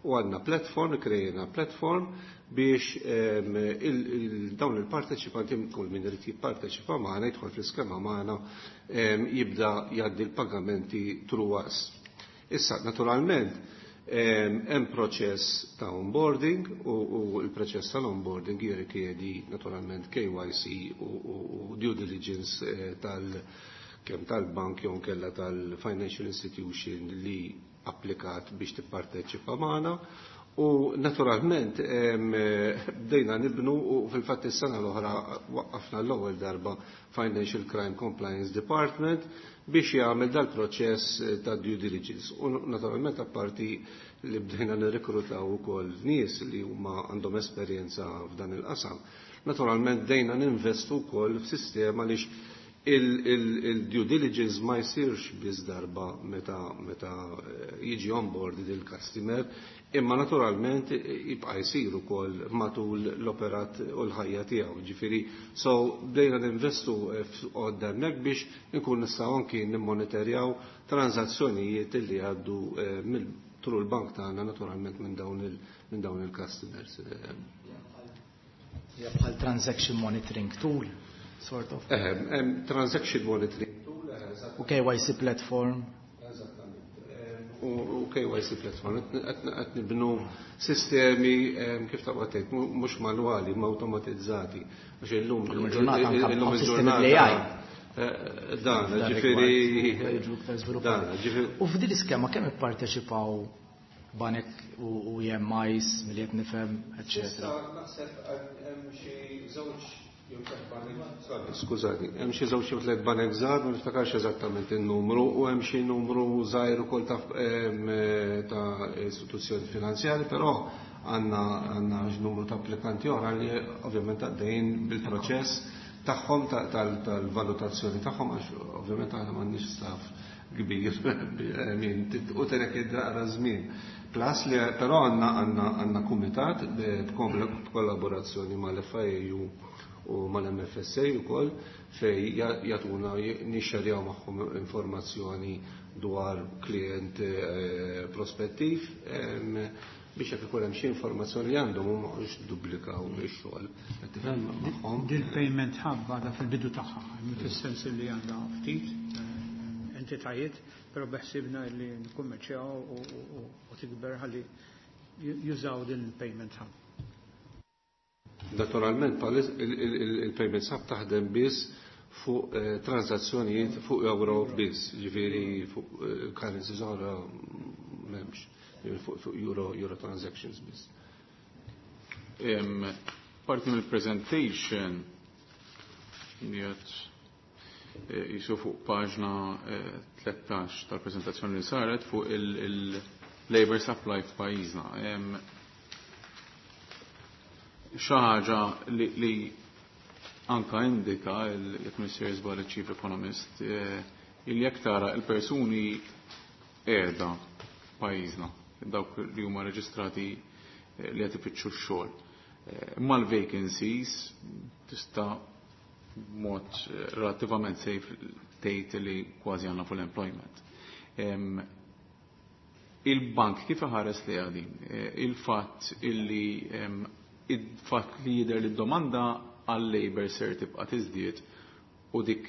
u għandna platform, krejna platform biex dawn il-parteċipanti, kull min irid jipparteċipa magħna, jidħol fl-iskema magħna, jibda jgħaddi l-pagamenti through us. Issa, naturalment, hemm proċess ta' onboarding u l-proċess tal-onboarding jirrikjedi naturalment KYC u due diligence kemm tal-bank jew kella tal-financial institution li applikat biex tipparteċipa magħna. U naturalment bdejna nibnu u fil-fatt is-sena l-oħra waqqafna l-ewwel darba Financial Crime Compliance Department biex jagħmel dal-proċess ta' due diligence. U naturalment apparti li bdejna nirrekrutaw ukoll nies li huma għandhom esperjenza f'dan il-qasam. Naturalment bdejna ninvestu wkoll f'sistema li il-due diligence ma jsirx biss darba meta jiġi onboarded il-customer, imma naturalment jibqa' jsir ukoll matul l-operat u l-ħajja tiegħu. Ġifieri, so bdejna ninvestu f'għodda hemmhekk biex inkun nistgħu anki nimmonitorjaw transazzjonijiet li jgħaddu through l-bank tagħna naturalment minn dawn il-customers. Ja, bħal transaction monitoring tool, sort of. Transaction monitoring tool, eżatt. U KYC platform. Eżattament. U KYC platform. Qed nibnu sistemi, kif ta' tgħid, mhux manwali, ma automatizzati. Għax illum Illum il-ġurnata anke illum sistemi il-ġurnata bl-AI. Dan, F'dan ġifieri, rigward, jiġu iktar żviluppati. dan, ġifieri. U f'din l-iskema kemm ipparteċipaw banek u EMIs, milli qed nifhem, eċċetera. Issa naħseb hemm xi żewġ jew tliet banek, sorry, skużani, hemm xi żewġ jew tliet banek żgħar, ma niftakarx eżattament in-numru, u hemm xi numru żgħir ukoll ta' istituzzjoni finanzjari, però għandna numru ta' applikanti oħra li ovvjament għaddejjin bil-proċess tagħhom tal-valutazzjoni tagħhom, għax ovvjament aħna m'għandniex staff kbir, u terek id-daqra żmien. Plus li però għandna kumitat b'kollaborazzjoni mal-FIAU u mal-MFSA ukoll fej jagħtuna nixxerjaw magħhom informazzjoni dwar klient prospettiv biex jekk ikun hemm xi informazzjoni li għandhom u ma jqogħdux dubblikaw ix-xogħol. Qed tifhem magħhom? Dil-payment hub għadha fil-bidu tagħha, fis-sens li għandha ftit entitajiet, però beħsibna li nkummerċjaw u tikber ħalli jużaw din il-payment hub. Naturalment, il-payment hub taħdem biss Fuq transazzjonijiet fuq euro biss, ġifieri fuq currencies oħra m'hemmx, fuq euro transactions biss. Parti mill-presentation jgħid jisu fuq paġna 13 tal-prezentazzjoni li saret fuq il-labor supply f'pajjiżna. Xi ħaġa li anka indika jekk Mr. Żball Chief Economist il jekk tara il-persuni qiegħda f'pajjiżna, dawk li huma reġistrati li qed ifittxu x-xogħol. Mal-vacancies tista' b'mod relattivament safe tgħid li kważi għandna full employment. Il-bank kif iħares li għadin? Il-fatt illi il-fatt li jidher li d-domanda għal-labor ser tibqa' tiżdied u dik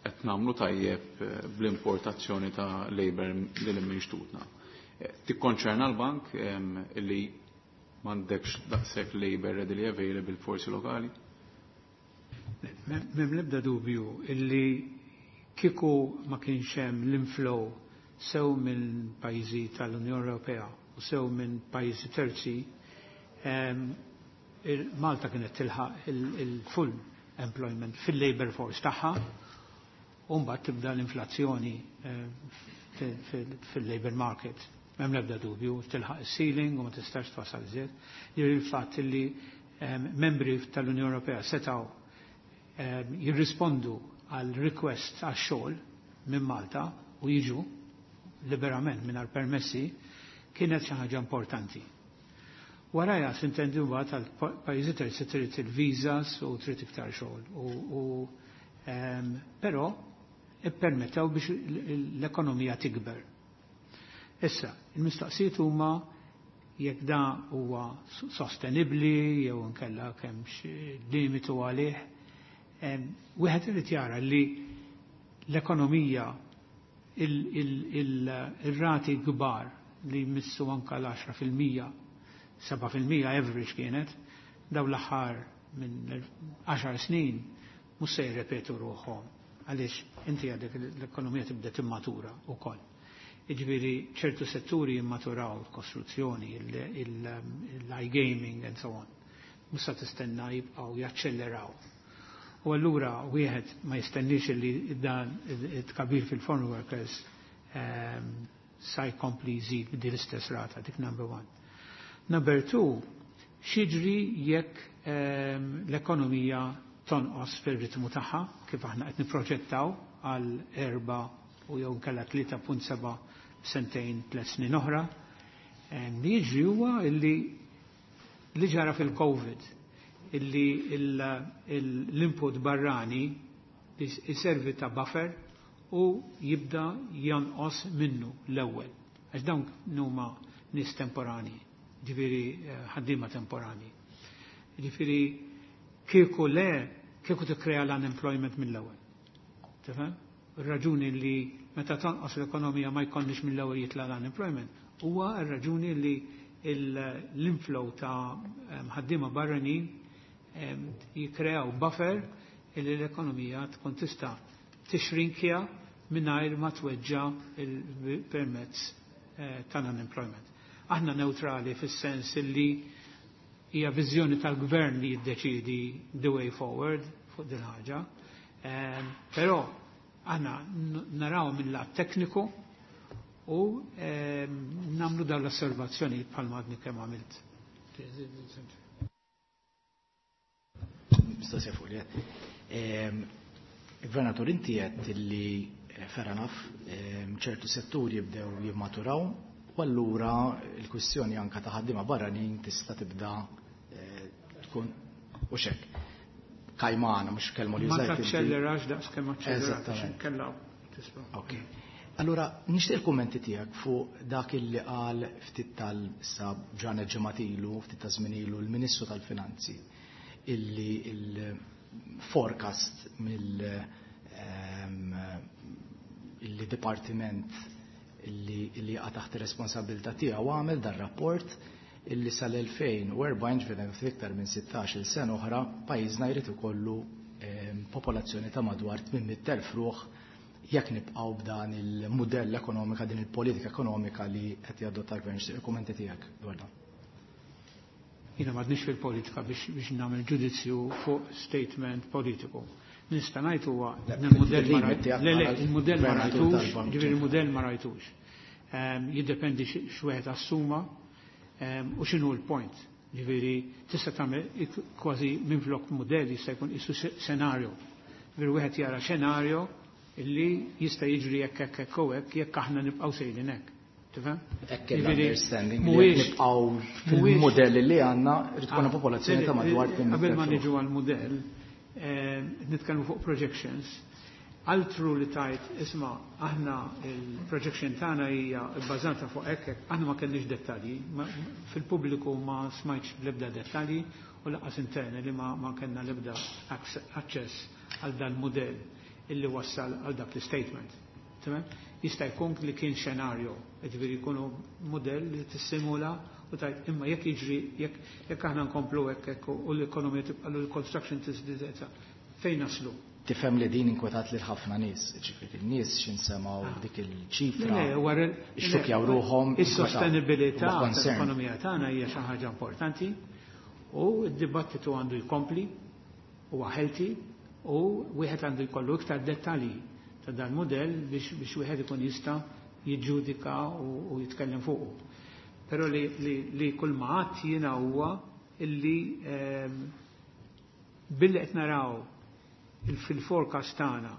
qed nagħmlu tajjeb bl-importazzjoni ta' labor lil minn xtutna. Tikkonċerna l-bank illi m'għandekx daqshekk labor readily available forsi lokali? M'hemm l-ebda dubju illi kieku ma kienx hemm l-inflow sew minn pajjiżi tal-Unjoni Ewropea u sew minn pajjiżi terzi, Malta kienet tilħaq il-full employment fil-labor force tagħha u mbagħad tibda l-inflazzjoni fil-labor market. M'hemm l-ebda dubju, tilħaq il-ceiling u ma tistax twasal iżjed. Il-fatt li membri tal-Unjoni Ewropea setgħu jirrispondu għal request għax xogħol minn Malta u jiġu liberament mingħajr permessi kienet xi ħaġa importanti. Waraja s'intendi mbagħad għal pajjiżi terzi trid il-visas u trid iktar xogħol. U però ippermettew biex l-ekonomija tikber. Issa, il-mistoqsijiet huma jekk da huwa sostenibbli jew inkella kemmx limitu għalih. Wieħed irid jara li l-ekonomija, il-rati kbar li jmissu anka l-10%, 7% average kienet, daw l-aħħar minn 10 snin mhux se jirrepetu ruħhom għaliex inti għadek l-ekonomija tibda timmatura wkoll. Jiġifieri ċertu setturi jimmaturaw, il-kostruzzjoni, l-iGaming and so on. Mhux se tistenna jibqgħu jaċċelleraw. U allura wieħed ma jistennix li dan it-tkabbir fil-foreign workers sa jkompli jżid b'din l-istess rata, dik number one. Number two, x'jiġri jekk l-ekonomija tonqos fil-ritmu tagħha kif aħna qed nipproġettaw għal 4 u jew nkella 3.7 sentejn, 3 snin oħra? Li jiġri huwa illi li ġara fil-Covid, illi l-input barrani jiservi ta' buffer u jibda jonqos minnu l-ewwel. Għax dawn huma nies temporani, ġifieri ħaddiema temporani. Ġifieri kieku le, kieku tikkrea l-unemployment mill-ewwel. Tifhem? Ir-raġuni li meta tonqos l-ekonomija ma jkollniex mill-ewwel jitla l-unemployment huwa r-raġuni li l-inflow ta' ħaddiema barranin jikreaw buffer illi l-ekonomija tkun tista' tixrinkja mingħajr ma tweġġa permezz tal-unemployment. Aħna neutrali fis-sens illi hija viżjoni tal-gvern li jiddeċidi the way forward fuq din ħaġa. Però aħna naraw mill-lat tekniku u nagħmlu dawn l-osservazzjoni bħalma għadni kemm għamilt. Mistoqsija fuq li Gvernatur, inti għedt li fair enough, ċertu setturi jibdew jimmaturaw u allura il-kwistjoni anka ta' ħaddiema barranin tista' tibda tkun u xek. Kajmana, mhux kelma li Ma użajt inti. Taċċellerax daqs kemm aċċellerat Eżattament. kella tisma'. Ok. Allura, nixtieq il-kummenti tiegħek fuq dak illi qal ftit tal-sa ġranet ġimgħat ilu, ftit ta' żmien ilu l-Ministru tal-Finanzi, illi il-forecast mill illi dipartiment illi jaqa' taħt ir-responsabilità tiegħu għamel dar rapport illi sal-2040, ġifieri iktar minn 16 sena oħra, pajjiżna jrid ikollu popolazzjoni ta' madwar 800,000 ruħ jekk nibqgħu b'dan il-mudell ekonomika, din il-politika ekonomika li qed jadotta l-gvern. Nixtieq il-kummenti tiegħek dwar dan. Jiena m'għadniex fil-politika biex nagħmel ġudizzju fuq statement politiku. Nista' ngħid huwa il-mudell ma il-mudell ma rajtux, ġifieri il-mudell ma rajtux. Jiddependi x'wieħed assuma u x'inhu l-point. Ġifieri tista' tagħmel kważi minflok mudell jista' jkun isu scenario. Ġifieri wieħed jara xenarju illi jista' jiġri jekk hekk hekk u hekk jekk aħna nibqgħu sejrin hekk. Tifhem? Hekk l-understanding li nibqgħu fil-mudell li għandna irid tkun popolazzjoni ta' madwar Qabel ma niġu għall-mudell, nitkellmu fuq projections. Altru li tajt, isma' aħna il-projection tagħna hija bbażata fuq hekk, aħna ma kellniex dettalji, fil-pubbliku ma smajtx bl-ebda dettalji u lanqas interni li ma kellna l-ebda aċċess għal dan mudell illi wassal għal dak l-statement. Tamam? Jista' jkun li kien xenarju, ġifieri jkunu mudell li tissimula u tajt imma jekk jiġri jekk aħna nkomplu hekk hekk u l-ekonomija tibqa' l-construction tiżdied fejn naslu? Tifhem li din inkwetat lil ħafna nies, ġifieri n-nies x'insemgħu dik il-ċifra. Ixxukjaw ruħhom. Is-sostenibilità tal-ekonomija tagħna hija xi ħaġa importanti u d-dibattitu għandu jkompli huwa healthy u wieħed għandu jkollu iktar dettalji ta' dan modell biex wieħed ikun jista' jiġġudika u jitkellem fuqu. Però li kull ma għadt jiena huwa illi billi qed naraw fil-forecast tagħna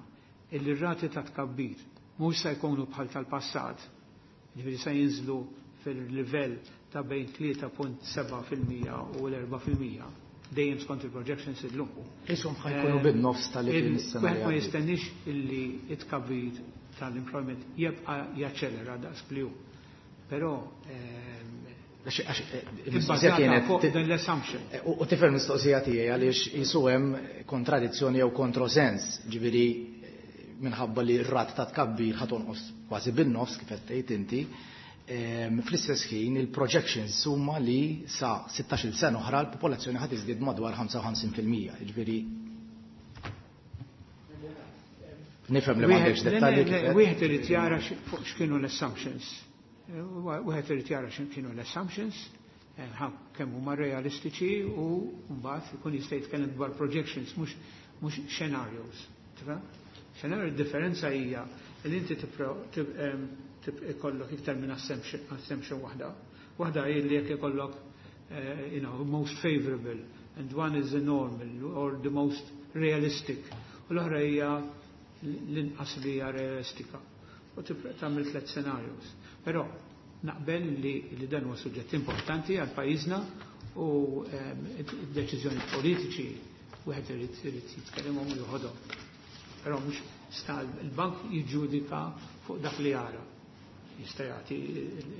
illi r-rati ta' tkabbir mhux se jkunu bħal tal-passat, ġifieri se jinżlu fil-livell ta' bejn 3.7% u l-4%, dejjem skont il-projections illum. Ishom ħa jkunu bin-nofs tal-li kien is-sena. Wieħed ma jistenniex illi it-tkabbir tal-employment jibqa' jaċċelera daqs li hu. Però il-mistoqsija kienet fuq dan l-assumption. U tifhem mistoqsija tiegħi għaliex jisu hemm kontradizzjoni jew kontrosens, ġifieri minħabba li r-rat ta' tkabbir ħa tonqos kważi bin-nofs kif qed tgħid inti. Fl-istess ħin il-projections huma li sa 16-il sena oħra l-popolazzjoni ħa tiżdied madwar 55%, ġifieri nifhem li m'għandekx dettalji kif qed. Wieħed irid jara fuq x'kienu l-assumptions. Wieħed irid jara x'kienu l-assumptions, kemm huma realistiċi u mbagħad ikun jista' jitkellem dwar projections mhux scenarios. Tifhem? Scenario differenza hija li inti ikollok iktar minn assumption waħda. Waħda hi li jekk ikollok most favorable and one is the normal or the most realistic. U l-oħra hija l-inqas li hija realistika. U tagħmel tliet scenarios. Però naqbel li dan huwa suġġett importanti għal pajjiżna u id-deċiżjoni politiċi wieħed irid jitkellem u joħodhom. Però mhux sta il-bank jiġġudika fuq dak li jara. Jista' jagħti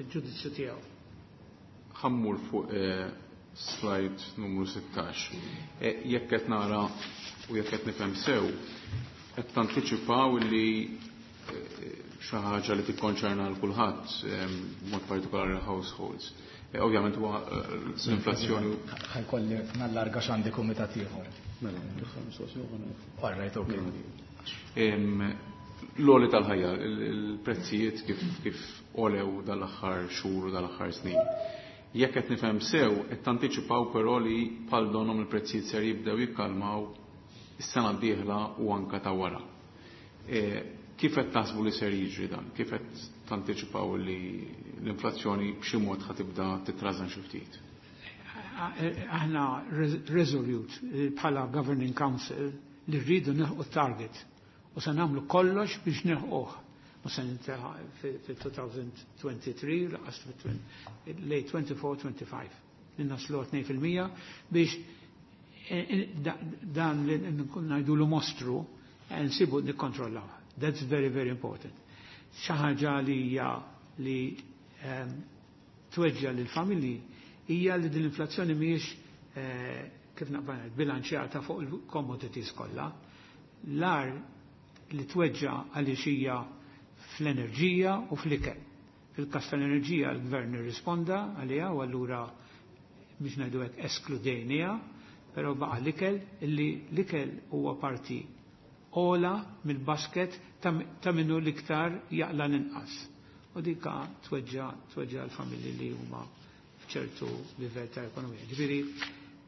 il-ġudizzju tiegħu. Ħa mmur fuq slide numru 16. Jekk qed nara u jekk qed nifhem sew, qed tantiċipaw li xi ħaġa li tikkonċerna l kulħadd, b'mod partikolari l-households. Ovvjament huwa l-inflazzjoni. Ħa jkolli nallarga x'għandi kumitat ieħor. Mela, All right, okay. L-għoli tal-ħajja, il-prezzijiet kif għolew dal-aħħar xhur u dal-aħħar snin. Jekk qed nifhem sew, qed tantiċipaw però li bħal donhom il-prezzijiet ser jibdew jikkalmaw is-sena d-dieħla u anka ta' wara. Kif qed taħsbu li ser jiġri dan? Kif qed tantiċipaw li l-inflazzjoni b'xi mod ħa tibda titrażan xi ftit? Aħna resolute bħala Governing Council li rridu nilħqu target u se nagħmlu kollox biex nilħquh. Ma se ninteħa fil-2023, lanqas late 24-25. Li naslu 2% biex dan li ngħidulu mostru nsibu nikkontrollaw. That's very, very important. Xi ħaġa li hija li tweġġa lill-familji hija li din l-inflazzjoni mhijiex kif naqbel bilanċjata fuq il-commodities kollha. L-ar li tweġġa għaliex hija fl-enerġija u fl-ikel. Fil-każ tal-enerġija l-gvern irrisponda għaliha u allura biex ngħidu hekk eskludejniha, però baqa' l-ikel illi l-ikel huwa parti ogħla mill-basket ta' minnu l-iktar jaqla l-inqas. U dika tweġġa l-familji li huma f'ċertu livell ta' ekonomija. Ġifieri,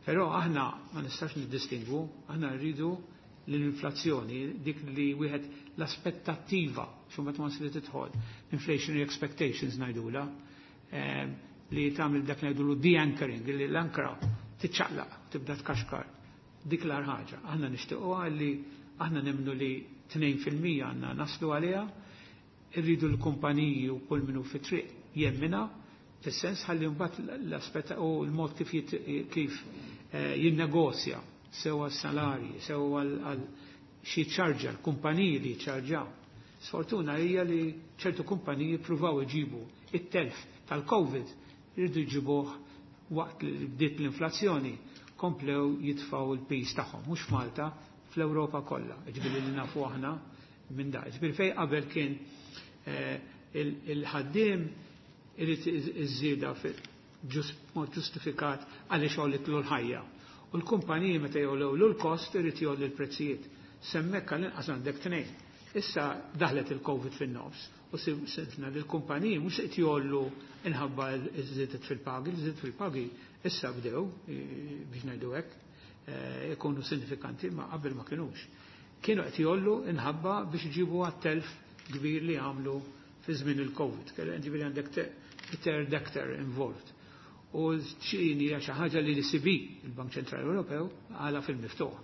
però aħna ma nistax niddistingwu, aħna rridu l-inflazzjoni, dik li wieħed l-aspettattiva, xumma ma li tidħol, inflationary expectations ngħidula, li tagħmel dak ngħidulu de-anchoring, li l-ankra tiċċaqlaq, tibda tkaxkar. Dik l ħaġa. Aħna nixtiequha li aħna nemmnu li 2% għandna naslu għaliha, irridu l-kumpaniji u kull minnu fit-triq jemmina, fis-sens ħalli mbagħad l-aspett u l-mod kif jinnegozja sew għas-salarji, sew għal xi ċarġa, l-kumpaniji li ċarġaw. Sfortuna hija li ċertu kumpaniji pruvaw iġibu it-telf tal-Covid rridu jġibuh waqt li bdiet l-inflazzjoni komplew jitfaw il-pis tagħhom, mhux f'Malta, fl-Ewropa kollha. Ġifieri li nafu aħna minn da. Ġifieri fejn qabel kien il-ħaddiem irid iż-żieda mod ġustifikat għaliex għolitlu l-ħajja. U l-kumpaniji meta jogħlew l-kost irid jgħolli l-prezzijiet. S'hemmhekk għall-inqas għandek tnejn. Issa daħlet il-Covid fin-nofs u sibna li l-kumpaniji mhux qed jgħollu inħabba ż-żiediet fil-pagi, l-żiediet fil-pagi issa bdew biex ngħidu hekk ikunu sinifikanti ma qabel ma kinux. Kienu qed jgħollu inħabba biex iġibu għat-telf kbir li għamlu fi żmien il-Covid. Ġifieri għandek third actor involved. U ċini hija xi ħaġa li l-ECB, il-Bank Ċentrali Ewropew, għala fil-miftuħ.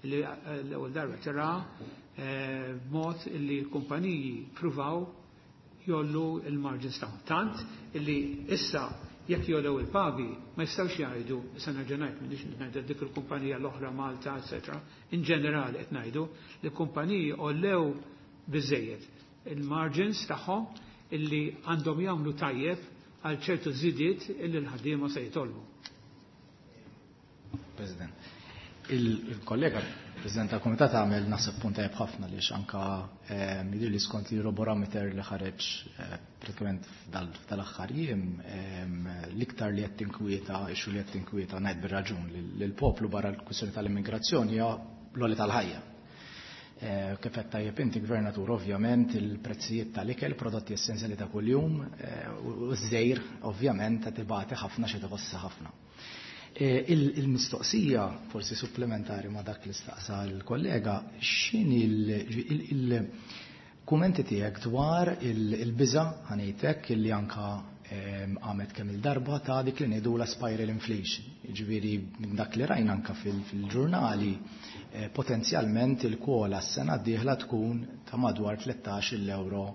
Li l-ewwel darba tara mod li l-kumpaniji pruvaw jgħollu il-margins tagħhom. Tant illi issa jekk jogħlew il-pagi ma jistgħux jgħidu, issa nerġa' ngħid m'inix ngħidu dik il-kumpanija l-oħra Malta, eċetera. In ġenerali qed ngħidu li kumpaniji għollew biżejjed il-margins tagħhom illi għandhom jagħmlu tajjeb għal ċertu żidiet illi l-ħaddiema se jitolbu. President, il-kollega President tal-Komitat għamel naħseb punt tajjeb ħafna li anka jidher li skont li Eurobarometer li ħareġ pratikament f'dal-aħħar jiem l-iktar li qed tinkwieta, issue li qed tinkwieta ngħid bir-raġun lill-poplu barra l-kwistjoni tal-immigrazzjoni hija l-għoli tal-ħajja. Kif qed tajjeb inti Gvernatur, ovvjament il-prezzijiet tal-ikel, prodotti essenzjali ta' kuljum, u ż-żejr ovvjament qed ibati ħafna xi tħossa ħafna. Il-mistoqsija forsi supplementari ma' dak li staqsa l-kollega, x'inhi il-kumenti tiegħek dwar il-biża' ħa ngħidlek illi anka għamet kemm il-darba ta' dik li ngħidu la spiral inflation. Jiġifieri minn dak li rajna anka fil-ġurnali potenzjalment il-COLA s-sena d-dieħla tkun ta' madwar 13 euro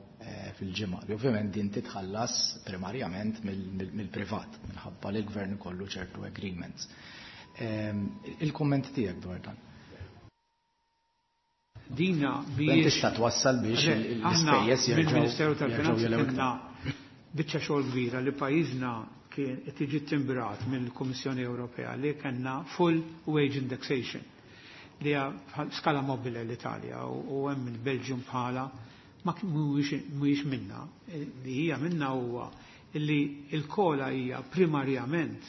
fil-ġimgħa. Li ovvjament din titħallas primarjament mill-privat minħabba li l-gvern ikollu ċertu agreements. Il-kumment tiegħek dwar dan. Dina biex tista' twassal biex l-ispejjeż jerġgħu mill-Ministeru tal-Finanzi kellna biċċa xogħol kbira li pajjiżna kien qed jiġi timbrat mill-Kummissjoni Ewropea li kellna full wage indexation li hija skala mobile l-Italja u hemm il-Belgium bħala ma mhuwiex minna. Li hija minna huwa li l-COLA hija primarjament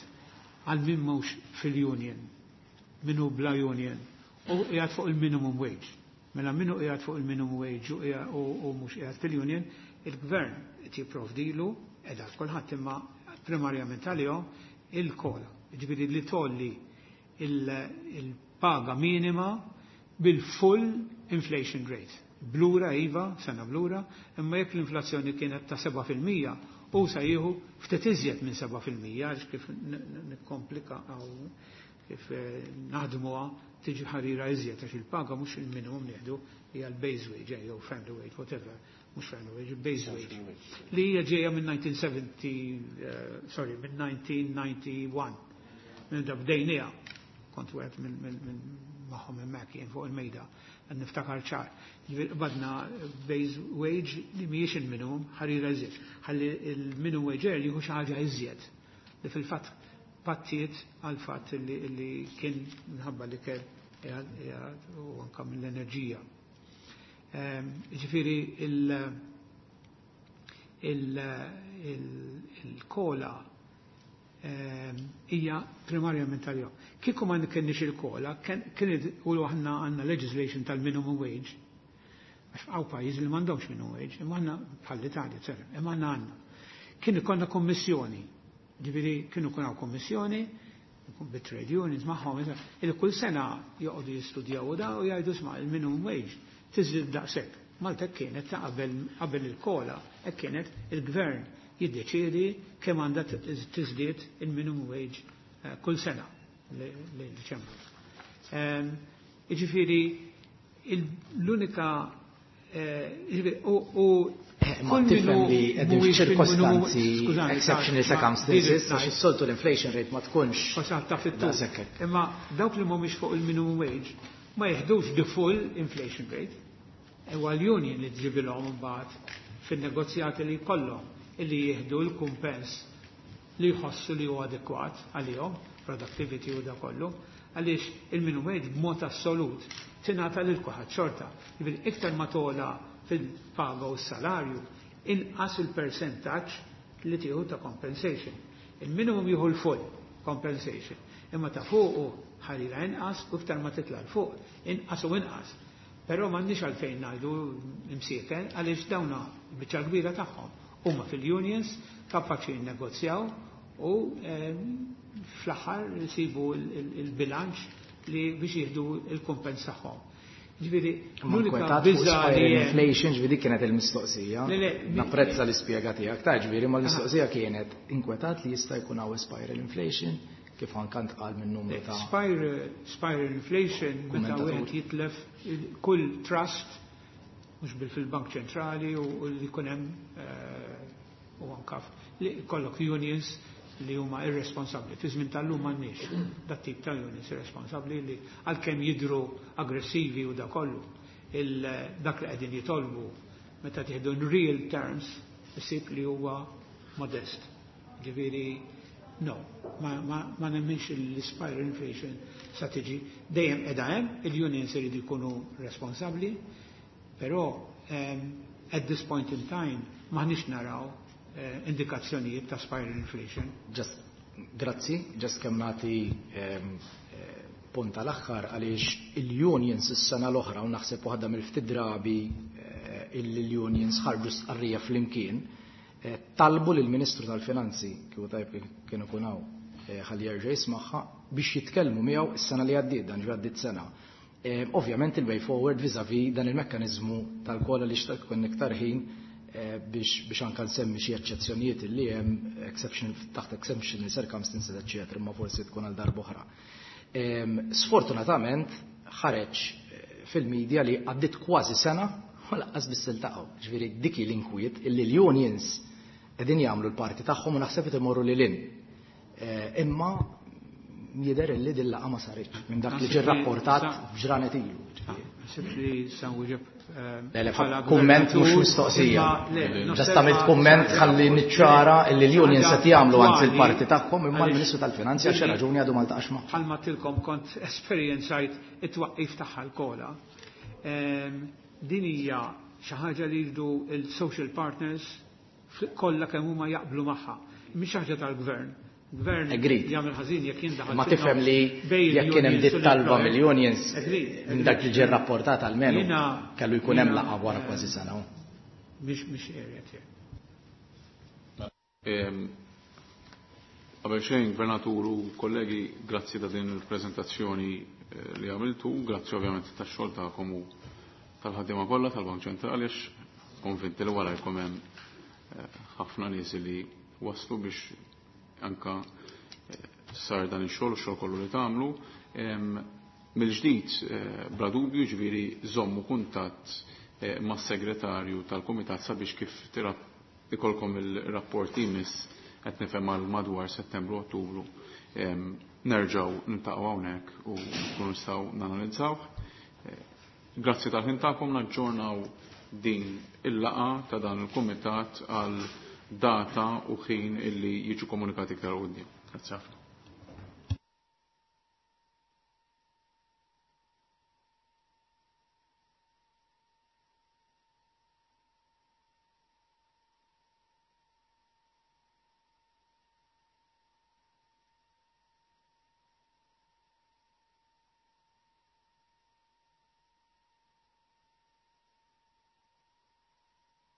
għal min mhux fil-union, minnu bla union, u qiegħed fuq il-minimum wage. Mela minnu qiegħed fuq il-minimum wage u mhux qiegħed fil-union, il-gvern qed jipprovdilu qiegħda kulħadd imma primarjament għalihom il-COLA. Ġifieri li tgħolli il-paga minima bil-full inflation rate. Blura iva, sena blura, imma jekk l-inflazzjoni kienet ta' 7% u sa jieħu ftit iżjed minn 7% għax kif nikkomplika għaw kif naħdmuha tiġi ħarira iżjed għax il-paga mhux il-minimum nieħdu hija l-base wage jew family wage, whatever, mhux family wage, base wage. Li hija ġejja minn 1970, sorry, minn 1991. Minn da bdejniha, kont wieħed minn magħhom hemmhekk jien fuq il-mejda, niftakar ċar. Badna base wage li mhijiex il-minimum, ħarira iżjed. Ħalli il-minimum wage jieħu xi ħaġa iżjed. Li fil-fatt pattiet għal fatt li kien minħabba li kell u anka mill-enerġija. Ġifieri il-COLA hija primarjament tal-jom. Kieku ma kenniex il-COLA, kien u aħna għandna legislation tal-minimum wage. Għax hawn pajjiżi li m'għandhomx minimum wage, imma aħna bħall-Italja, eċetera, imma aħna għandna. Kien ikollna kommissjoni, ġifieri kienu jkun hawn kommissjoni bit-trade unions magħhom, il kull sena joqogħdu jistudjaw u da u jgħidu isma' il-minimum wage tiżdied daqshekk. Malta kienet ta' qabel il-COLA, hekk kienet il-gvern jiddeċiedi kemm għandha tiżdied il-minimum wage kull sena lejn Diċembru. Jiġifieri l-unika u Ma tifhem li qegħdin f'ċirkostanzi exceptional circumstances, għax is-soltu l-inflation rate ma tkunx. Daqshekk. Imma dawk li mhumiex fuq il-minimum wage ma jeħdux the full inflation rate. Huwa l-union li tġibilhom imbagħad fin-negozjati li jkollhom illi jieħdu l-kumpens li jħossu li huwa adekwat għalihom, productivity u da kollu, għaliex il-minimum wage b'mod assolut tingħata lil kulħadd xorta. Jiġifieri iktar ma togħla fil-paga u s-salarju, inqas il-percentaġġ li tieħu ta' compensation. Il-minimum jieħu l-full compensation, imma ta' fuqu ħalila inqas u iktar ma titla' l fuq, inqas u inqas. Però m'għandniex għalfejn ngħidu imsieken għaliex dawna biċċa kbira tagħhom huma fil-unions kapaċi jinnegozjaw u fl-aħħar jsibu il-bilanċ li biex jieħdu il-kumpens tagħhom. Ġifieri, l-unika biża li inflation ġifieri kienet il-mistoqsija. Napprezza l-ispjega tiegħek ta' ġifieri ma l-mistoqsija kienet inkwetat li jista' jkun hawn spiral inflation kif anke ntqal minn numru ta' Spiral inflation meta wieħed jitlef kull trust mhux bil fil-Bank Ċentrali u li jkun hemm u anka li kollok unions li huma irresponsabbli. Fi żmien tal-lum m'għandniex dat tip ta' unions irresponsabbli li għalkemm jidru aggressivi u da kollu dak li qegħdin jitolbu meta tieħdu in real terms isib li huwa modest. Ġifieri no, ma nemminx l-spiral inflation sa tiġi dejjem qiegħda hemm, il-unions iridu jkunu responsabbli, però at this point in time m'aħniex naraw indikazzjonijiet ta' spiral inflation. Just, grazzi, just kemm nagħti punt tal-aħħar għaliex il-unions is-sena l-oħra u naħseb waħda mill-ftit drabi il-unions ħarġu stqarrija flimkien talbu lill-Ministru tal-Finanzi kieku tajb kienu kun hawn ħalli jerġa' jismagħha biex jitkellmu miegħu is-sena li għaddiet dan ġi għaddiet sena. Ovvjament il-way forward vis-a-vis dan il-mekkaniżmu tal-COLA li xtaq ikun iktar ħin biex anka nsemmi xi eċċezzjonijiet li hemm exception taħt exceptional circumstances eċċetera, imma forsi tkun għal darb'oħra. Sfortunatament ħareġ fil-medja li għaddiet kważi sena u lanqas biss iltaqgħu. Ġifieri dik l-inkwiet illi l-unions qegħdin jagħmlu l-parti tagħhom u naħseb qed imorru lil hinn. Imma jidher illi din laqgħa ma saritx minn dak li ġie rapportat f'ġranet ilu. Naħseb li sa nwieġeb Le, kumment mhux mistoqsija. Just għamilt kumment ħalli niċċara illi l-unions qed jagħmlu anzi l-parti tagħhom imma l-Ministru tal-Finanzi għal xi raġuni għadu ma ltaqax magħhom. Bħalma tilkom kont esperjenzajt it-twaqqif tagħha l-COLA. Din hija xi ħaġa li jridu il-social partners kollha kemm huma jaqblu magħha. Mhix ħaġa tal-gvern. Gvern jagħmel ħażin jekk jindaħal. Ma tifhem li jekk kien hemm dit talba mill-unions minn dak li ġie rapportat almenu kellu jkun hemm laqgħa wara kważi sena. Mhix area tiegħi. Qabel xejn, Gvernatur u kollegi, grazzi ta' din il-preżentazzjoni li għamiltu, grazzi ovvjament tax-xogħol tagħkom u tal-ħaddiema kollha tal-Bank Ċentrali għax konvinti li wara jkun hemm ħafna nies li waslu biex anka sar dan ix-xogħol u x-xogħol kollu li tagħmlu. Mill-ġdid bla dubju ġifieri żommu kuntatt mas-segretarju tal-kumitat sabiex kif ikolkom il-rapport imiss qed nifhem għal madwar Settembru Ottubru nerġgħu niltaqgħu hawnhekk u nkunu nistgħu nanalizzawh. Grazzi tal-ħin tagħkom naġġornaw din il-laqgħa ta' dan il-kumitat għal data u ħin illi jiġu komunikati iktar quddiem. Grazzi ħafna.